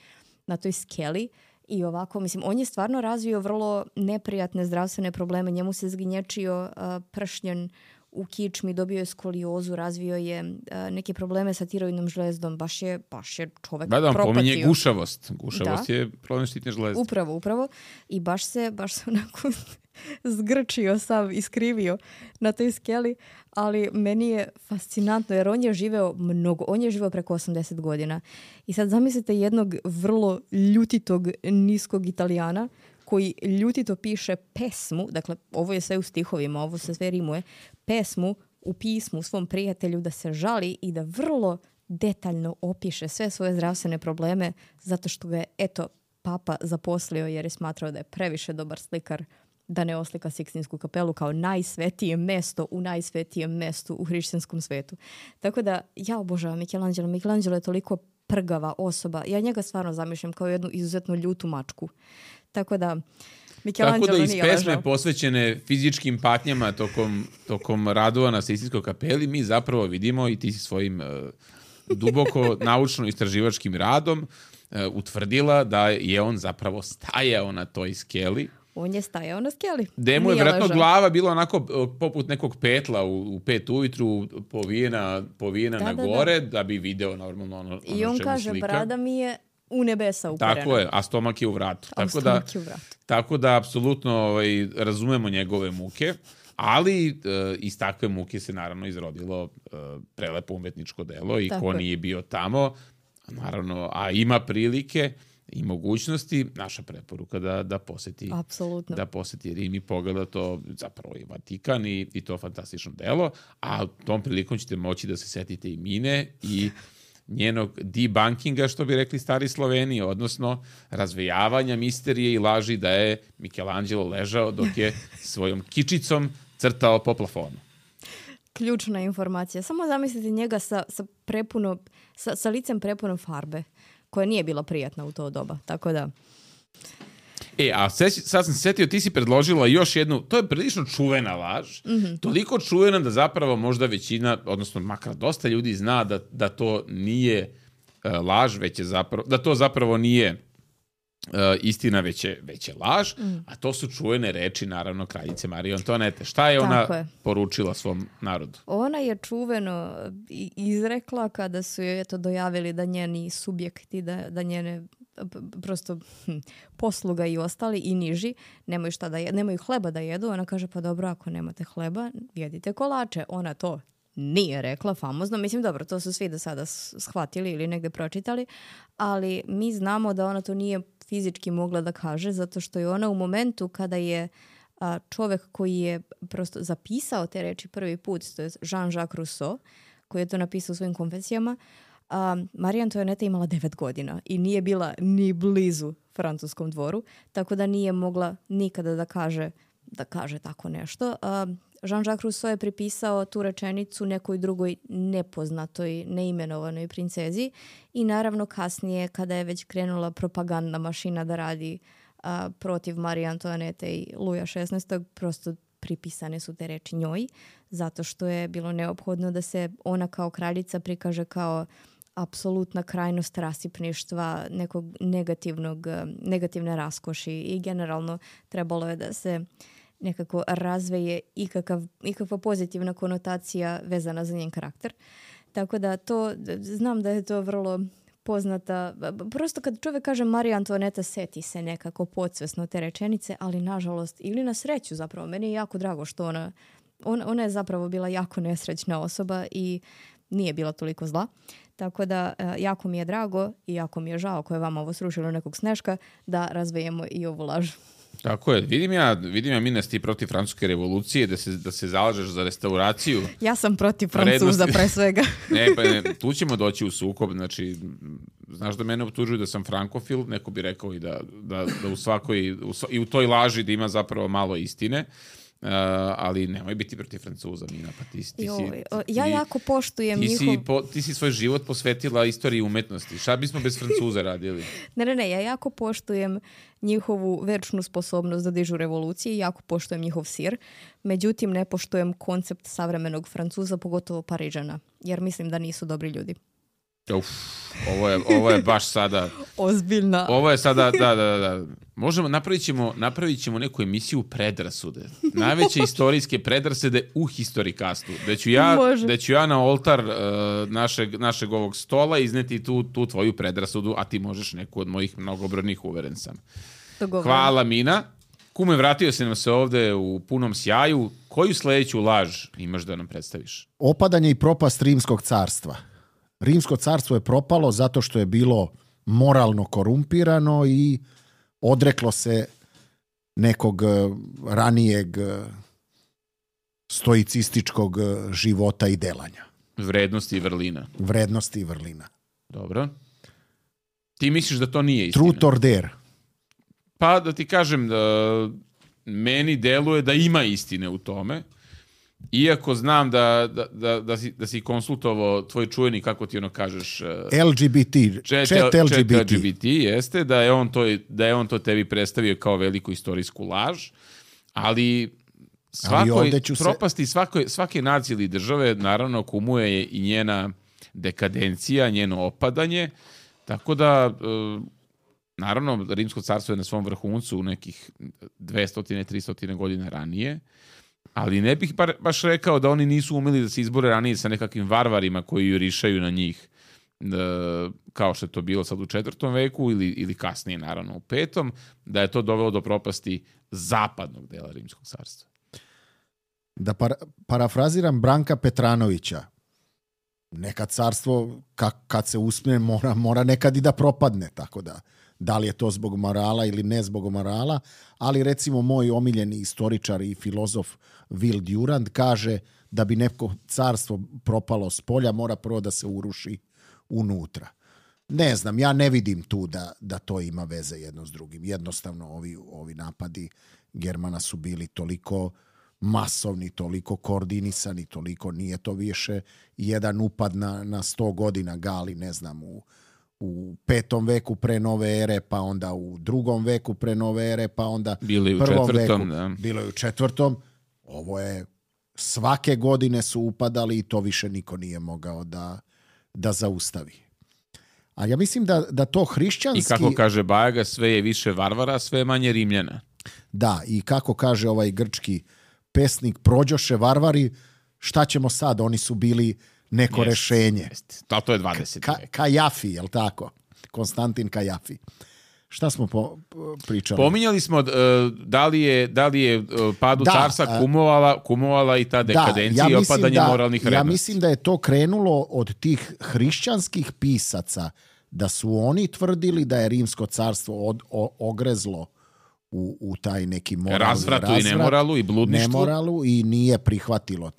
na toj skeli. I ovako, mislim, on je stvarno razvio vrlo neprijatne zdravstvene probleme. Njemu se zgnječio pršnjen u kičmi, dobio je skoliozu, razvio je neke probleme sa tiroidnom žlezdom. Baš je čovek propatio. Da, on pominje gušavost. Gušavost je problem štitne žlezde. Upravo. I baš se onako zgrčio sav, iskrivio na toj skeli, ali meni je fascinantno jer on je živeo preko 80 godina. I sad zamislite jednog vrlo ljutitog niskog Italijana koji ljutito piše pesmu, dakle ovo je sve u stihovima, ovo se sve rimuje, pesmu u pismu svom prijatelju da se žali i da vrlo detaljno opiše sve svoje zdravstvene probleme zato što ga je, papa zaposlio jer je smatrao da je previše dobar slikar da ne oslika Sikstinsku kapelu kao najsvetije mesto u najsvetijem mestu u hrišćanskom svetu. Tako da ja obožavam Michelangelo. Michelangelo je toliko prgava osoba. Ja njega stvarno zamišljam kao jednu izuzetno ljutu mačku. Tako da Michelangelo nije ležao. Tako da iz pesme posvećene fizičkim patnjama tokom radova na Sistinskoj kapeli mi zapravo vidimo i ti si svojim duboko naučno-istraživačkim radom utvrdila da je on zapravo stajao na toj skeli. On je stajao na skeli. Gde mu je vjerojatno glava bila onako poput nekog petla u 5 ujutru povijena na gore da bi video normalno ono i on kaže, slika. Brada mi je u nebesa uperena. Tako je, a stomak je u vratu. Tako da apsolutno razumemo njegove muke. Ali iz takve muke se naravno izrodilo prelepo umetničko delo i Tako ko je. nije bio tamo, naravno, a ima prilike i mogućnosti, naša preporuka da poseti Apsolutno. da poseti Rim i pogleda to zapravo i Vatikan i to fantastično delo, a tom prilikom ćete moći da se setite i Mine i njenog debunkinga, što bi rekli stari Sloveni, odnosno razvejavanja misterije i laži da je Michelangelo ležao dok je svojom kičicom crtao po plafonu. Ključna informacija. Samo zamislite njega sa licem prepunom farbe, koja nije bila prijatna u to doba. Tako da, A sad sam se setio, ti si predložila još jednu, to je prilično čuvena laž, toliko čuvena da zapravo možda većina, odnosno makar dosta ljudi zna da to nije laž, već je zapravo, da to zapravo nije istina, već je laž, a to su čuvene reči, naravno, kraljice Marije Antoanete. Šta je ona Tako je. poručila svom narodu? ona je čuveno izrekla kada su joj dojavili da njeni subjekti, da njene prosto posluga i ostali i niži nemaju hleba da jedu. Ona kaže, pa dobro, ako nemate hleba, jedite kolače. Ona to nije rekla famozno. Mislim, dobro, to su svi do sada shvatili ili negde pročitali, ali mi znamo da ona to nije fizički mogla da kaže, zato što je ona u momentu kada je čovek koji je prosto zapisao te reči prvi put, to je Jean-Jacques Rousseau, koji je to napisao u svojim konfesijama, Marija Antoaneta imala 9 godina i nije bila ni blizu francuskom dvoru, tako da nije mogla nikada da kaže tako nešto. Jean-Jacques Rousseau je pripisao tu rečenicu nekoj drugoj nepoznatoj, neimenovanoj princezi i naravno kasnije kada je već krenula propagandna mašina da radi protiv Marije Antoanete i Luja XVI. Prosto pripisane su te reči njoj, zato što je bilo neophodno da se ona kao kraljica prikaže kao apsolutna krajnost rasipništva, nekog negativne raskoši i generalno trebalo je da se nekako razveje ikakva pozitivna konotacija vezana za njen karakter. Tako da znam da je to vrlo poznata. Prosto kad čovjek kaže Marija Antoaneta, seti se nekako podsvesno te rečenice, ali nažalost, ili na sreću zapravo, meni je jako drago što ona je zapravo bila jako nesrećna osoba i nije bila toliko zla. Tako da jako mi je drago i jako mi je žao ako je vama ovo srušilo nekog sneška da razvejemo i ovu laž. Tako je. Vidim ja Minas, ti protiv francuske revolucije, da se zalažeš za restauraciju. Ja sam protiv Francuza pre svega. Ne, tu ćemo doći u sukob. Znači, znaš da mene optužuju da sam frankofil, neko bi rekao i da u svakoj, i u toj laži da ima zapravo malo istine. Ali nemoj biti protiv Francuza, Mina, pa ja jako poštujem njihov... Ti si svoj život posvetila istoriji umetnosti. Šta bismo bez Francuza radili? Ne, ja jako poštujem njihovu večnu sposobnost da dižu revolucije i jako poštujem njihov sir. Međutim, ne poštujem koncept savremenog Francuza, pogotovo Parižana, jer mislim da nisu dobri ljudi. Ovo je baš sada... Ozbiljna. Ovo je sada, da. Možemo, napravit ćemo neku emisiju predrasude. Najveće istorijske predrasude u historikastu. Da ću ja na oltar našeg ovog stola izneti tu tvoju predrasudu, a ti možeš neku od mojih mnogobrojnih, uveren sam. Hvala, Mina. Kume, vratio si nam se ovde u punom sjaju. Koju sledeću laž imaš da nam predstaviš? Opadanje i propast Rimskog carstva. Rimsko carstvo je propalo zato što je bilo moralno korumpirano i odreklo se nekog ranijeg stoicističkog života i delanja. Vrednosti i vrlina. Dobro. Ti misliš da to nije istina? Truth or dare. Pa da ti kažem, meni deluje da ima istine u tome. Iako znam da si konsultovao tvoj čuveni, kako ti ono kažeš... Chat LGBT, jeste, da je on to tebi predstavio kao veliku istorijsku laž, ali propasti svake nacije ili države, naravno, kumuje i njena dekadencija, njeno opadanje, tako da... Naravno, Rimsko carstvo je na svom vrhuncu u nekih 200-300 godina ranije, ali ne bih baš rekao da oni nisu umeli da se izbore ranije sa nekakvim varvarima koji jurišaju na njih, kao što je to bilo sad u 4. veku ili kasnije, naravno, u 5. da je to dovelo do propasti zapadnog dela Rimskog carstva. Da parafraziram Branka Petranovića, neka carstvo kad se uspne mora nekad i da propadne, tako da li je to zbog morala ili ne zbog morala, ali recimo moj omiljeni istoričar i filozof Will Durant kaže da bi neko carstvo propalo s polja, mora prvo da se uruši unutra. Ne znam, ja ne vidim tu da to ima veze jedno s drugim. Jednostavno ovi napadi Germana su bili toliko masovni, toliko koordinisani, toliko nije to više jedan upad na 100 godina Gali, ne znam, u 5. veku pre nove ere, pa onda u 2. veku pre nove ere, pa onda bilo i u 1. 4. veku. Da. Bilo je u 4. Ovo je svake godine su upadali i to više niko nije mogao da zaustavi. A ja mislim da to hrišćanski... I kako kaže Bajaga, sve je više varvara, sve je manje Rimljana. Da, i kako kaže ovaj grčki pesnik, prođoše varvari, šta ćemo sad? Oni su bili neko rešenje. Da, to je 20. vek. Kajafi, jel tako? Konstantin Kajafi. Šta smo pričali? Pominjali smo da li je padu carstva kumovala i ta dekadencija i opadanje moralnih vrednosti. Ja mislim da je to krenulo od tih hrišćanskih pisaca, da su oni tvrdili da je Rimsko carstvo ogrezlo u taj neki moralni razvratu i nemoralu i bludništvu. Nemoralu i nije prihvatilo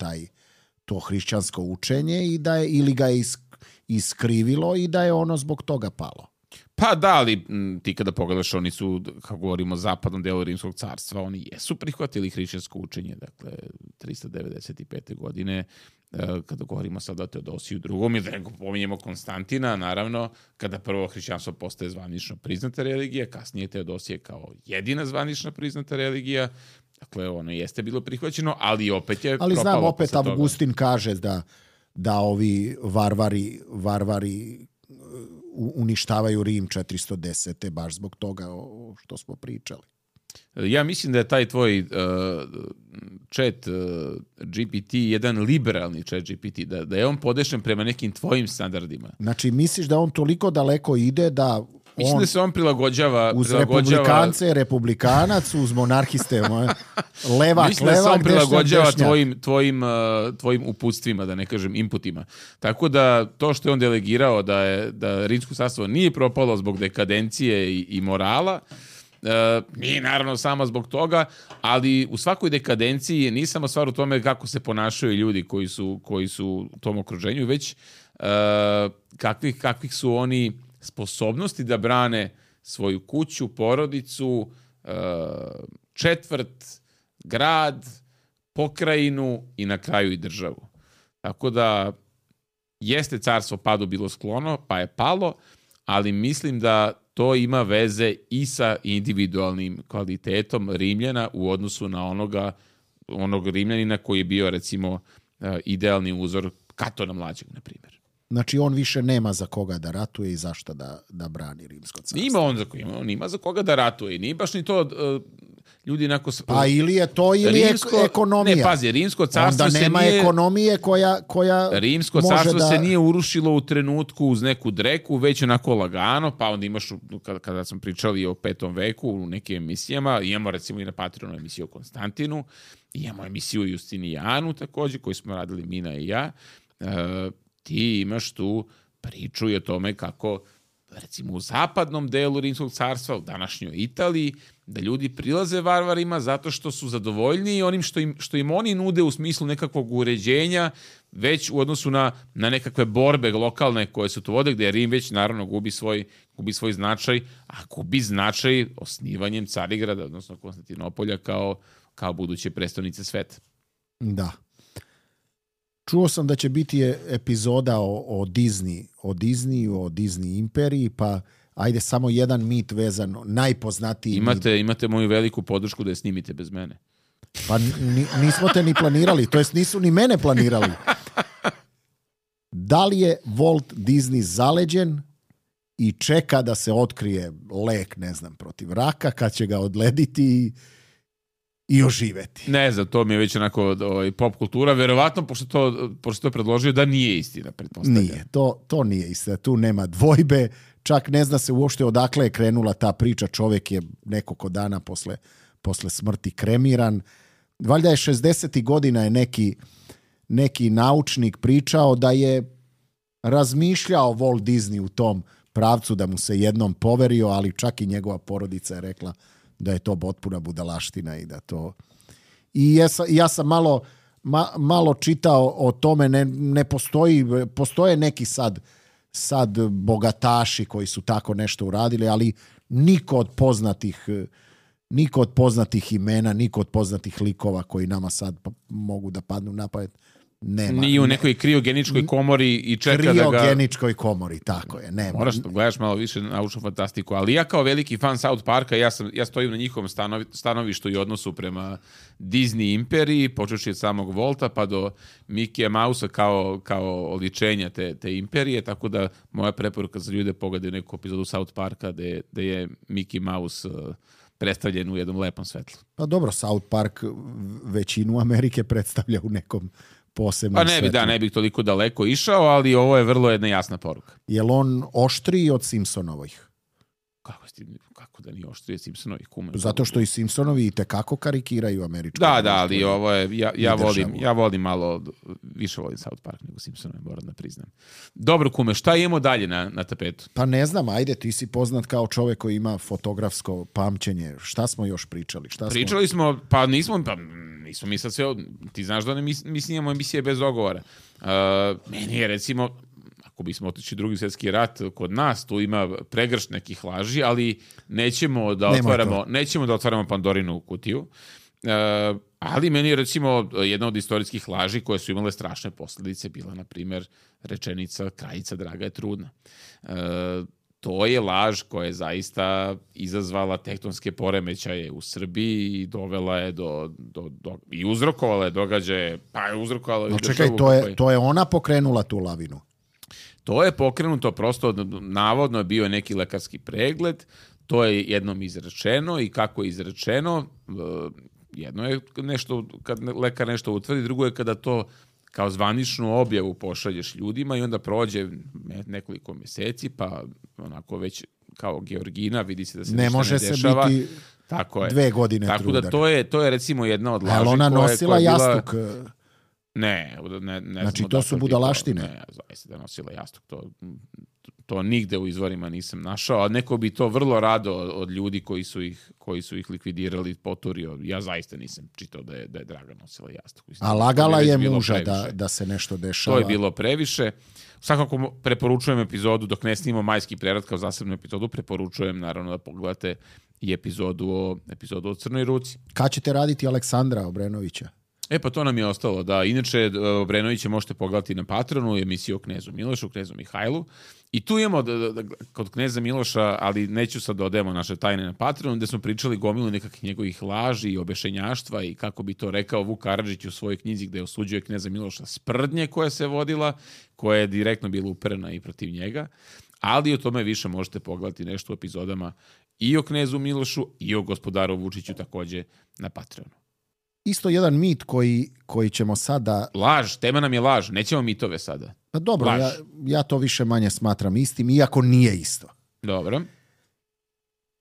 to hrišćansko učenje i da je, ili ga je iskrivilo i da je ono zbog toga palo. Pa da, ali ti kada pogledaš, oni su, kako govorimo o zapadnom delu Rimskog carstva, oni jesu prihvatili hrišćansko učenje, dakle 395. godine, kada govorimo sada o Teodosiju II. I da pominjemo Konstantina, naravno, kada prvo hrišćanstvo postaje zvanično priznata religija, kasnije Teodosije kao jedina zvanična priznata religija, dakle ono jeste bilo prihvaćeno, ali opet je propalo. Ali znam, opet Avgustin kaže da ovi varvari uništavaju Rim 410. baš zbog toga što smo pričali. Ja mislim da je taj tvoj chat GPT jedan liberalni chat GPT, da je on podešen prema nekim tvojim standardima. Znači, misliš da on toliko daleko ide da mislim da se on prilagođava uz republikance je republikanac, uz monarhiste levak, mislim da se on prilagođava tvojim uputstvima, da ne kažem inputima. Tako da to što je on delegirao da Rimsko carstvo nije propalo zbog dekadencije i morala, nije naravno samo zbog toga, ali u svakoj dekadenciji nije samo stvar u tome kako se ponašaju ljudi koji su u tom okruženju, već kakvih su oni sposobnosti da brane svoju kuću, porodicu, četvrt, grad, pokrajinu i na kraju i državu. Tako da jeste carstvo padu bilo sklono, pa je palo, ali mislim da to ima veze i sa individualnim kvalitetom Rimljana u odnosu na onog Rimljanina koji je bio, recimo, idealni uzor Katona mlađeg, na primjer. Znači, on više nema za koga da ratuje i zašto da brani Rimsko carstvo. On ima za koga da ratuje i nije baš ni to ljudi inako... Pa ili je to ili ekonomija. Ne, pazi, Rimsko carstvo onda nema ekonomije koja Rimsko carstvo se nije urušilo u trenutku uz neku dreku, već onako lagano, pa onda imaš, kada smo pričali o 5. veku u nekim emisijama, imamo recimo i na Patreonu emisiju o Konstantinu, imamo emisiju o Justinijanu također, koju smo radili Mina i ja, ti imaš tu priču i o tome kako, recimo u zapadnom delu Rimskog carstva, u današnjoj Italiji, da ljudi prilaze varvarima zato što su zadovoljni onim što im oni nude u smislu nekakvog uređenja, već u odnosu na nekakve borbe lokalne koje se tu vode, gdje Rim već naravno gubi svoj značaj, a gubi značaj osnivanjem Carigrada, odnosno Konstantinopolja kao buduće prestonice sveta. Da. Čuo sam da će biti epizoda o Disney imperiji, pa ajde samo jedan mit vezan, najpoznatiji Imate moju veliku podršku da je snimite bez mene. Pa nismo te ni planirali, to jest nisu ni mene planirali. Da li je Walt Disney zaleđen i čeka da se otkrije lek, ne znam, protiv raka, kad će ga odlediti i oživeti? Ne znam, to mi je već onako pop kultura. Verovatno, pošto to predložio, da nije istina, pretpostavljam. Nije, to nije istina. Tu nema dvojbe. Čak ne zna se uopšte odakle je krenula ta priča. Čovjek je nekoliko dana posle smrti kremiran. valjda je 60. godina je neki naučnik pričao da je razmišljao Walt Disney u tom pravcu da mu se jednom poverio, ali čak i njegova porodica je rekla da je to potpuna budalaština i da to... I ja sam malo čitao o tome, ne postoje neki sad bogataši koji su tako nešto uradili, ali niko od poznatih imena, niko od poznatih likova koji nama sad mogu da padnu na pamet, nema. Nije u nekoj kriogeničkoj komori i čeka da ga... Kriogeničkoj komori, tako je, nema. Moraš da gledaš malo više naučnu fantastiku, ali ja kao veliki fan South Parka, ja stojim na njihovom stanovištu i odnosu prema Disney imperiji, počeši od samog Volta pa do Mickey Mouse kao oličenja te imperije, tako da moja preporuka za ljude pogledaju neku epizodu South Parka gde je Mickey Mouse predstavljen u jednom lepom svetlu. Pa dobro, South Park većinu Amerike predstavlja u nekom posebnom svetlu. Pa ne bih toliko daleko išao, ali ovo je vrlo jedna jasna poruka. Je li on oštriji od Simpsonovih? Kako da nije oštriji od Simpsonovih? Zato što i Simpsonovi i tekako karikiraju američku. Da, ali ovo je, ja volim malo, više volim South Park nego Simpsonove, moram da priznam. Dobro, kume, šta imamo dalje na tapetu? Pa ne znam, ajde, ti si poznat kao čovek koji ima fotografsko pamćenje. Šta smo još pričali? Pričali smo, nismo mi sad sve, ti znaš da mi snimamo emisije bez dogovora. Meni je, recimo, ako bismo otišli Drugi svjetski rat kod nas, tu ima pregršt nekih laži, ali nećemo da otvaramo Pandorinu kutiju. Ali meni je, recimo, jedna od istorijskih laži koje su imale strašne posljedice bila, na primjer, rečenica kraljica draga je trudna. To je laž koja je zaista izazvala tektonske poremećaje u Srbiji i dovela je i uzrokovala je događaje, pa je uzrokovala... No čekaj, to je ona pokrenula tu lavinu. To je pokrenuto, prosto navodno je bio neki lekarski pregled, to je jednom izrečeno i kako je izrečeno, jedno je nešto, kad lekar nešto utvrdi, drugo je kada to kao zvaničnu objavu pošalješ ljudima i onda prođe nekoliko mjeseci, pa onako već kao Georgina vidi se da se ne može se biti tako je. 2 godine tako trudar. Tako da to je recimo jedna od laži. Ali ona nosila jastuk? Ne znači to su budalaštine? Ne, zaista da nosila jastuk. To nigde u izvorima nisam našao, a neko bi to vrlo rado od ljudi koji su ih likvidirali poturio. Ja zaista nisam čitao da je Draga nosila jastuk. A lagala je muža da se nešto dešava? To je bilo previše. Svakako preporučujem epizodu, dok ne snimamo Majski prevrat kao zasebnu epizodu, preporučujem naravno da pogledate i epizodu o Crnoj ruci. Kad ćete raditi Aleksandra Obrenovića? Pa to nam je ostalo, da. Inače, Obrenovića možete pogledati na Patronu, emisiju o Knezu Milošu, Knezu Mihajlu. I tu imamo kod Kneza Miloša, ali neću sad da odemo naše tajne na Patronu, gde smo pričali gomilu nekakvih njegovih laži i obešenjaštva i kako bi to rekao Vuk Karadžić u svojoj knjizi gde osuđuje Kneza Miloša sprdnje koja se vodila, koja je direktno bila uperena i protiv njega. Ali o tome više možete pogledati nešto u epizodama i o Knezu Milošu i o gospodaru Vučiću takođe na Patronu. Isto jedan mit koji ćemo sada... Laž, tema nam je laž, nećemo mitove sada. Pa dobro, ja to više manje smatram istim, iako nije isto. Dobro.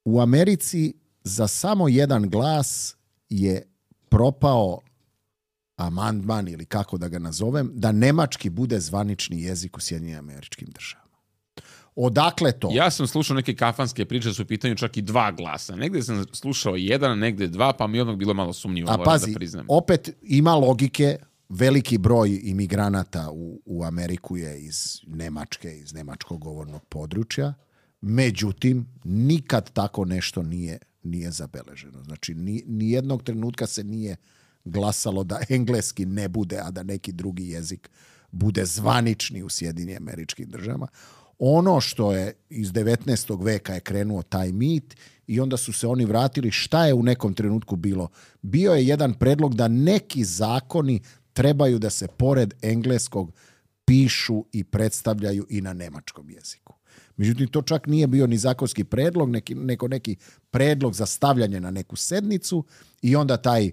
U Americi za samo jedan glas je propao amandman, ili kako da ga nazovem, da nemački bude zvanični jezik u Sjedinjenim Američkim Državama. Odakle to? Ja sam slušao neke kafanske priče, su u pitanju čak i 2 glasa. Negde sam slušao 1, negde 2, pa mi odmah bilo malo sumnjivo, moram pazi, da priznam. Opet ima logike, veliki broj imigranata u Ameriku je iz Nemačke, iz nemačkog govornog područja, međutim, nikad tako nešto nije zabeleženo. Znači, nijednog trenutka se nije glasalo da engleski ne bude, a da neki drugi jezik bude zvanični u Sjedinjenim Američkim Državama. Ono što je iz 19. veka je krenuo taj mit i onda su se oni vratili. Šta je u nekom trenutku bilo? Bio je jedan predlog da neki zakoni trebaju da se pored engleskog pišu i predstavljaju i na nemačkom jeziku. Međutim, to čak nije bio ni zakonski predlog, neki predlog za stavljanje na neku sednicu i onda taj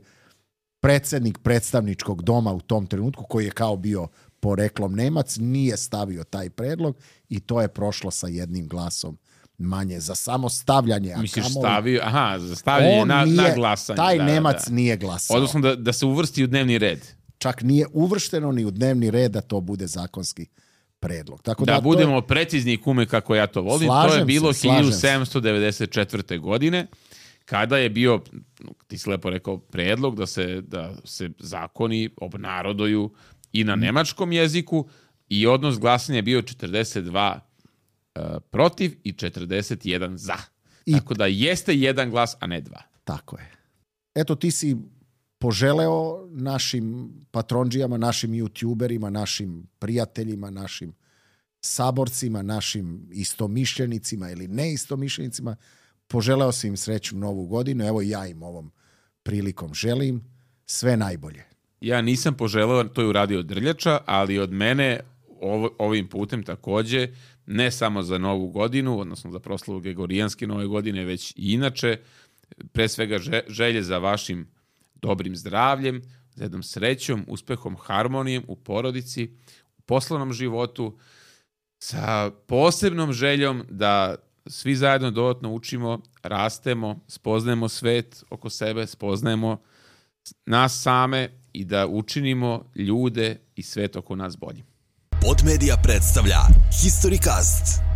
predsjednik predstavničkog doma u tom trenutku, koji je kao bio poreklom Nemac, nije stavio taj predlog i to je prošlo sa jednim glasom manje za samo stavljanje. Misliš kamoli- stavio, za stavljanje na glasanje. Taj Nemac nije glasao. Odnosno da se uvrsti u dnevni red. Čak nije uvršteno ni u dnevni red da to bude zakonski predlog. Tako Da to budemo precizni, kume, kako ja to volim. To je Slažem bilo se, slažem se. 1794. godine, kada je bio, ti si lepo rekao, predlog da se zakoni obnaroduju i na nemačkom jeziku i odnos glasanja je bio 42 protiv i 41 za. Tako da jeste jedan glas, a ne dva. Tako je. Eto, ti si poželeo našim patronđijama, našim youtuberima, našim prijateljima, našim saborcima, našim istomišljenicima ili neistomišljenicima, poželeo si im srećnu novu godinu. Evo ja im ovom prilikom želim sve najbolje. Ja nisam poželeo, to je uradio Drljača, ali od mene ovim putem takođe, ne samo za novu godinu, odnosno za proslavu Gregorijanske nove godine, već i inače, pre svega želje za vašim dobrim zdravljem, za jednom srećom, uspehom, harmonijom u porodici, u poslovnom životu, sa posebnom željom da svi zajedno dodatno učimo, rastemo, spoznajemo svet oko sebe, spoznajemo nas same i da učinimo ljude i svet oko nas boljim. Podmedia predstavlja Historicast.